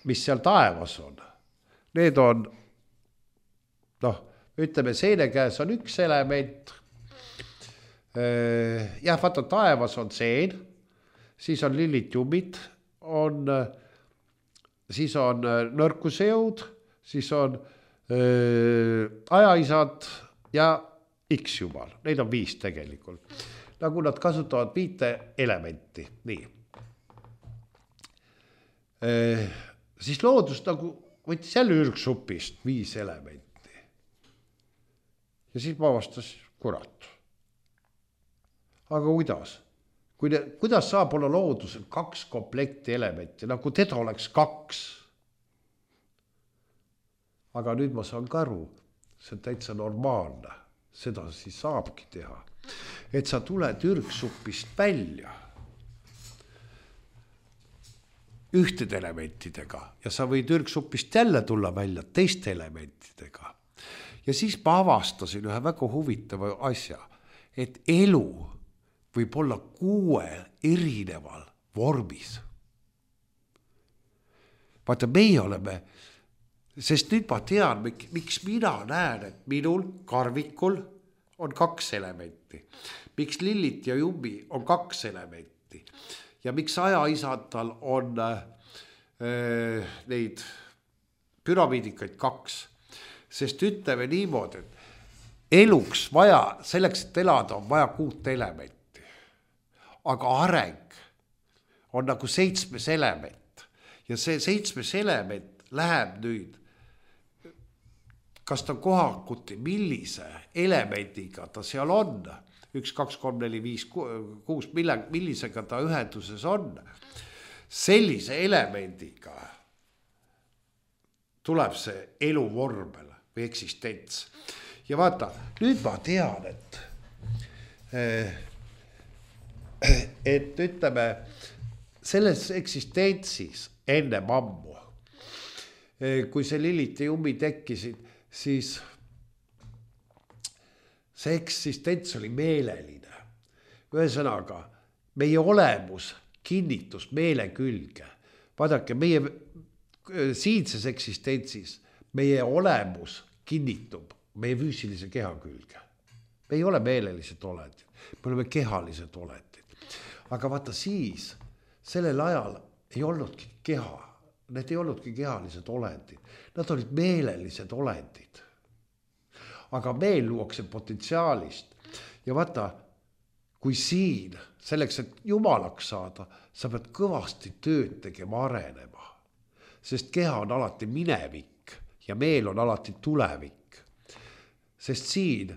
mis seal taevas on, need on noh, ütleme, seene käes on üks element. Jah, vaata, taevas on seen, siis on lilitjumid, on, siis on nõrkusejõud, siis on öö, ajaisad ja X-jumal. Neid on viis tegelikult. Nagu nad kasutavad viite elementi. Nii. Öö, siis loodus nagu võttis jälle ürgsupist viis elementi. Ja siis ma vastas, kurat. Aga kuidas? Kui ne, kuidas saab olla loodusel kaks komplekti elementi, nagu teda oleks kaks? Aga nüüd ma saan ka aru, see on täitsa normaalne. Seda siis saabki teha. Et sa tuled ürgsupist välja ühtede elementidega ja sa võid ürgsupist jälle tulla välja teiste elementidega. Ja siis ma avastasin ühe väga huvitava asja, et elu võib olla kuue erineval vormis. Vaata, meie oleme, sest nüüd ma tean, miks mina näen, et minul karvikul on kaks elementi. Miks Lillit ja Jumbi on kaks elementi. Ja miks ajaisadal on äh, neid püramiidikaid kaks. Sest ütleme niimoodi, et eluks vaja, selleks, et elada on vaja kuut elementi. Aga areng on nagu seitsmes element. Ja see seitsmes element läheb nüüd, kas ta kohakuti, millise elemendiga ta seal on, üks, kaks, kolm, neli, viis, kuus, millisega ta ühenduses on, sellise elemendiga tuleb see elu vormel või eksistents. Ja vaata, nüüd ma tean, et et ütleme, selles eksistentsis enne ammu, kui see Lillit ja Jummi tekkisid, siis see eksistents oli meeleline. Ühesõnaga, meie olemus kinnitus meele külge. Vaadake, meie siinses eksistentsis meie olemus kinnitub meie füüsilise keha külge. Me ei ole meelelised olendid, me oleme kehalised olendid. Aga vaata siis, sellel ajal ei olnudki keha. need ei olnudki kehalised olendid, nad olid meelelised olendid. Aga meel luuakse potentsiaalist ja vaata, kui siin selleks, et jumalaks saada, sa pead kõvasti tööd tegema arenema, sest keha on alati minevik ja meel on alati tulevik. Sest siin,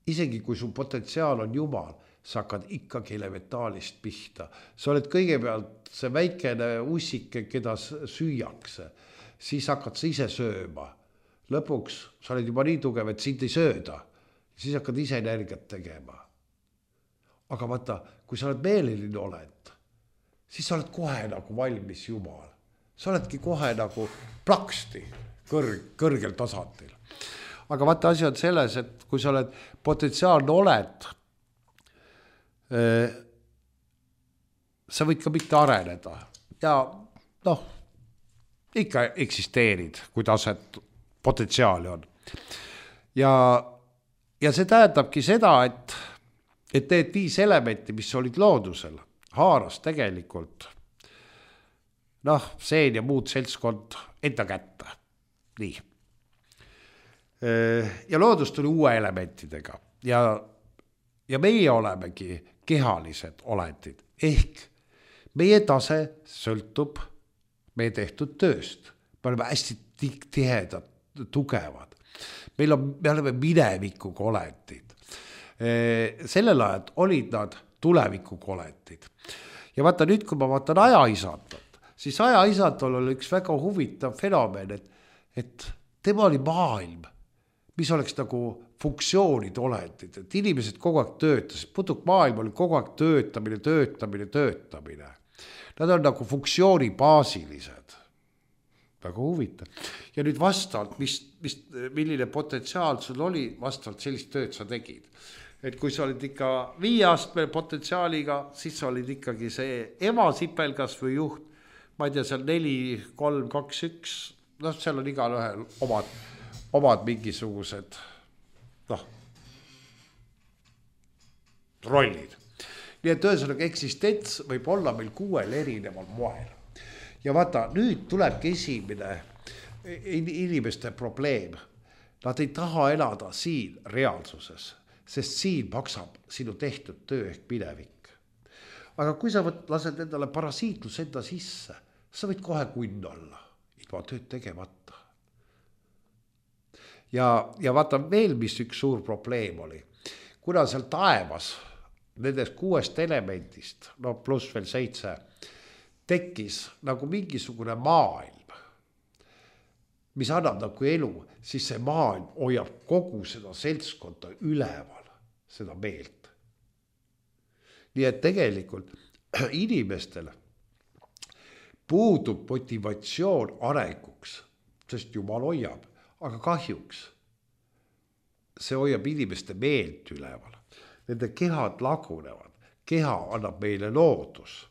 isegi kui su potentsiaal on jumal, sa hakkad ikkagi elementaalist pihta. Sa oled kõigepealt see väikene ussike, keda süüakse, siis hakkad sa ise sööma. Lõpuks sa oled juba nii tugev, et sind ei sööda, siis hakkad ise energiat tegema. Aga vaata, kui sa oled meeleline olend, siis sa oled kohe nagu valmis jumal. Sa oledki kohe nagu plaksti kõrg, kõrgel tasandil. Aga vaata, asi on selles, et kui sa oled potentsiaalne oled, sa võid ka mitte areneda ja noh, ikka eksisteerid, kui taset potentsiaali on. Ja, ja see tähendabki seda, et, et need viis elementi, mis olid loodusel, haaras tegelikult noh, seen ja muud seltskond enda kätte. Nii. Ja loodus tuli uue elementidega ja, ja meie olemegi kehalised olendid. Ehk meie tase sõltub meie tehtud tööst. Me oleme hästi tihedad, tugevad. Meil on, me oleme minevikuga olendid. Sellel ajal olid nad tulevikuga olendid. Ja vaata nüüd, kui ma vaatan ajaisandot, siis ajaisandol oli üks väga huvitav fenomen, et, et tema oli maailm, mis oleks nagu funktsioonid olendid, et inimesed kogu aeg töötasid, putuk maailm oli kogu aeg töötamine, töötamine, töötamine. Nad on nagu funktsioonibaasilised. Väga huvitav. Ja nüüd vastavalt, mis, mis, milline potentsiaal sul oli, vastavalt sellist tööd sa tegid. Et kui sa olid ikka viiastmel potentsiaaliga, siis sa olid ikkagi see emasipelgas või juht, ma ei tea, seal neli, kolm, kaks, üks, noh, seal on igal ühel omad, omad mingisugused noh, rollid. Nii et ühesõnaga eksistents võib olla meil kuuel erineval moel. Ja vaata, nüüd tulebki esimene inimeste probleem. Nad ei taha elada siin reaalsuses, sest siin maksab sinu tehtud töö ehk minevik. Aga kui sa võt, lased endale parasiitlus enda sisse, sa võid kohe kunn olla, ilma tööd tegemata. Ja, ja vaata veel, mis üks suur probleem oli. Kuna seal taevas, nendest kuuest elementist, no pluss veel seitse, tekkis nagu mingisugune maailm, mis annab nagu elu, siis see maailm hoiab kogu seda seltskonda üleval, seda meelt. Nii et tegelikult inimestel puudub motivatsioon arenguks, sest jumal hoiab. Aga kahjuks see hoiab inimeste meelt üleval. Nende kehad lagunevad. Keha annab meile loodus.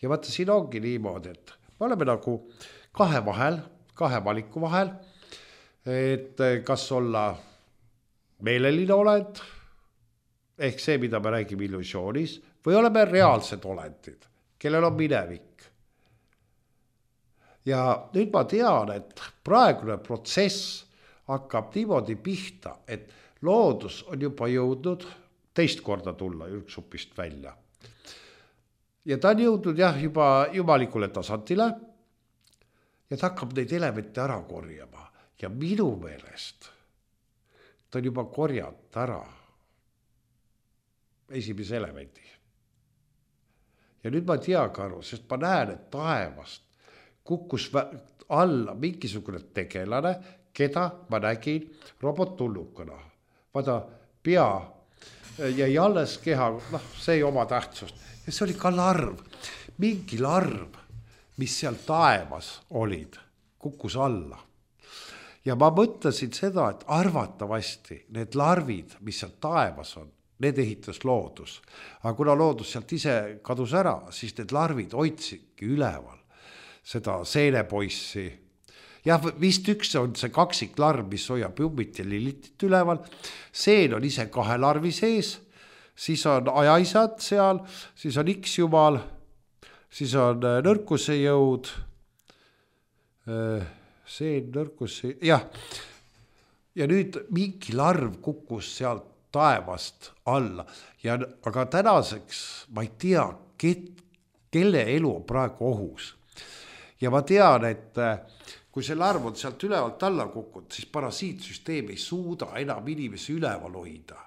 Ja vaata, siin ongi niimoodi, et me oleme nagu kahe vahel, kahe valiku vahel, et kas olla meeleline olend, ehk see, mida me räägime illusioonis, või oleme reaalsed olendid, kellel on minevik. Ja nüüd ma tean, et praegune protsess hakkab niimoodi pihta, et loodus on juba jõudnud teist korda tulla ürgsupist välja. Ja ta on jõudnud jah, juba jumalikule tasandile ja ta hakkab neid elemente ära korjama. Ja minu meelest ta on juba korjanud ära esimese elemendi. Ja nüüd ma ei tea ka aru, sest ma näen, et taevast kukkus alla mingisugune tegelane, keda ma nägin robottullukana. Vaata, pea jäi alles keha, noh, see ei oma tähtsust. Ja see oli ka larv, mingi larv, mis seal taevas olid, kukkus alla. Ja ma mõtlesin seda, et arvatavasti need larvid, mis seal taevas on, need ehitas loodus. Aga kuna loodus sealt ise kadus ära, siis need larvid hoidsidki üleval seda seenepoissi. Jah, vist üks on see kaksiklarv, mis hoiab jummit ja lilitit üleval. Seen on ise kahe larvi sees, siis on ajaisad seal, siis on X jumal, siis on nõrkuse jõud see nõrkus, jah. Ja nüüd mingi larv kukkus sealt taevast alla. Ja, aga tänaseks ma ei tea, ket, kelle elu on praegu ohus. Ja ma tean, et kui see larv on sealt ülevalt alla kukkunud, siis parasiitsüsteem ei suuda enam inimesi üleval hoida.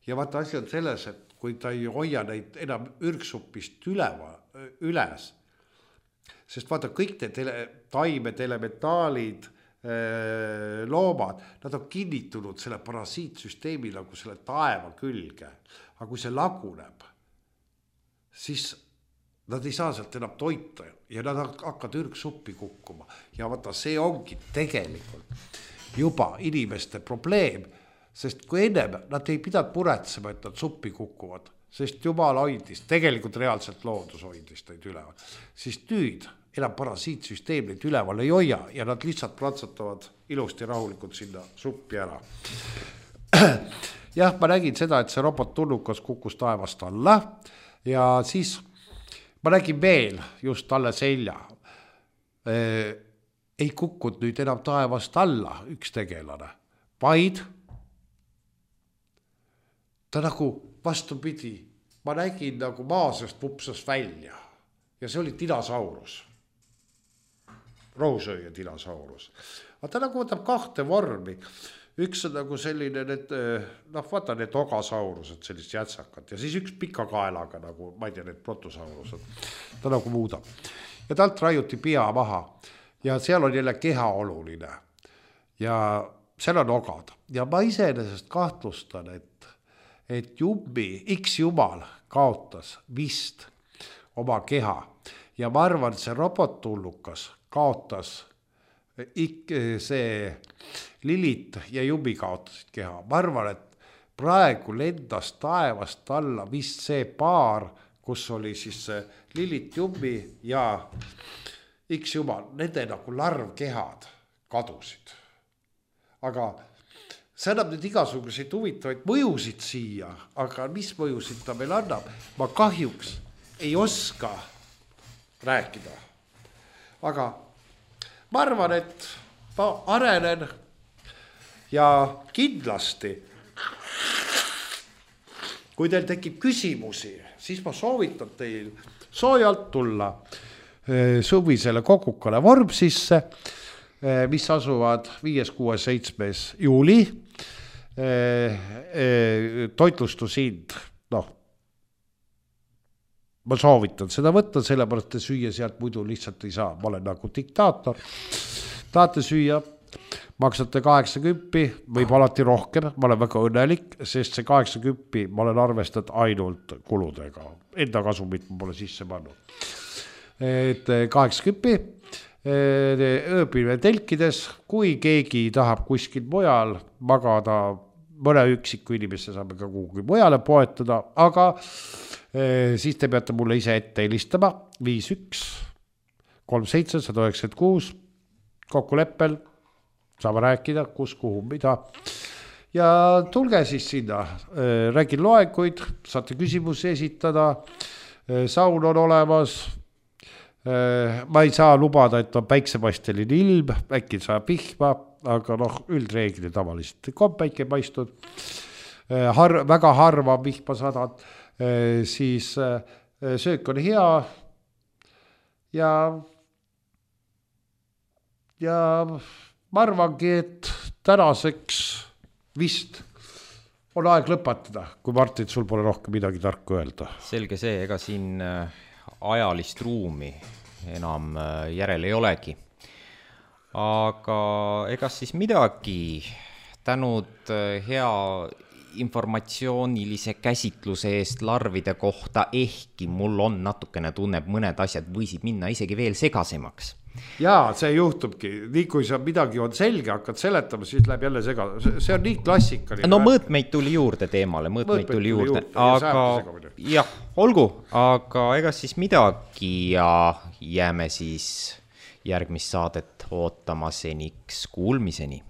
Ja vaata asi on selles, et kui ta ei hoia neid enam ürgsupist üleva, üles, sest vaata kõik need tele, taimed, elementaalid, loomad, nad on kinnitunud selle parasiitsüsteemi nagu selle taeva külge. Aga kui see laguneb, siis nad ei saa sealt enam toita ja nad hakkavad ürgsuppi kukkuma. Ja vaata, see ongi tegelikult juba inimeste probleem, sest kui ennem nad ei pidanud muretsema, et nad suppi kukuvad, sest jumal hoidis, tegelikult reaalselt loodus hoidis neid üleval, siis nüüd enam parasiitsüsteem neid üleval ei hoia ja nad lihtsalt platsatavad ilusti rahulikult sinna suppi ära. Jah, ma nägin seda, et see robot tulnukas kukkus taevast alla ja siis ma nägin veel just talle selja. Ei kukkud nüüd enam taevast alla üks tegelane, vaid ta nagu vastupidi, ma nägin nagu maasest vupsas välja ja see oli dinosaurus. Rohusööja dinosaurus. Aga ta nagu võtab kahte vormi. Üks on nagu selline, need, noh, vaata need ogasaurused, sellist jätsakat. Ja siis üks pika kaelaga, nagu, ma ei tea, need protosaurused. Ta nagu muudab. Ja talt raiuti pea maha. Ja seal on jälle keha oluline. Ja seal on ogad. Ja ma iseenesest kahtlustan, et, et jummi, X jumal kaotas vist oma keha. Ja ma arvan, see robottullukas kaotas ik, see Lilit ja Jummi kaotasid keha. Ma arvan, et praegu lendas taevast alla vist see paar, kus oli siis Lilit, Jummi ja X jumal, nende nagu larvkehad kadusid. Aga see annab nüüd igasuguseid huvitavaid mõjusid siia, aga mis mõjusid ta meil annab? Ma kahjuks ei oska rääkida. Aga ma arvan, et ma arenen ja kindlasti, kui teil tekib küsimusi, siis ma soovitan teil soojalt tulla suvisele Kokukale Vormsisse, mis asuvad viies, kuues, seitsmes juuli. Toitlustusind, noh, ma soovitan seda võtta, sellepärast te süüa sealt muidu lihtsalt ei saa. Ma olen nagu diktaator. Tahate süüa, maksate kaheksakümmend, võib alati rohkem. Ma olen väga õnnelik, sest see kaheksakümmend ma olen arvestanud ainult kuludega. Enda kasumit ma pole sisse pannud. Et kaheksakümmend, ööpilve telkides, kui keegi tahab kuskil mujal magada, mõne üksiku inimesse saame ka kuhugi mujale poetada, aga siis te peate mulle ise ette helistama viis üks kolm seitse üks üheksa kuus kokkuleppel, saame rääkida, kus, kuhu, mida. Ja tulge siis sinna, räägin loenguid, saate küsimusi esitada, saun on olemas, ma ei saa lubada, et on päiksepasteline ilm, äkki saab pihma, aga noh, üldreegli tavaliselt on päike paistud, Har, väga harva vihma sadad, siis söök on hea ja ja ma arvangi, et tänaseks vist on aeg lõpetada, kui Martin, sul pole rohkem midagi tarku öelda. Selge see, ega siin ajalist ruumi enam järel ei olegi. Aga ega siis midagi tänud hea informatsioonilise käsitluse eest larvide kohta, ehkki mul on natukene tunneb, mõned asjad võisid minna isegi veel segasemaks. Jaa, see juhtubki. Nii kui sa midagi on selge, hakkad seletama, siis läheb jälle sega. See on nii klassikaline. No mõõtmeid tuli juurde teemale, mõõtmeid, mõõtmeid tuli juurde. juurde. Aga jah, olgu, aga ega siis midagi ja jääme siis järgmist saadet ootama seniks kuulmiseni.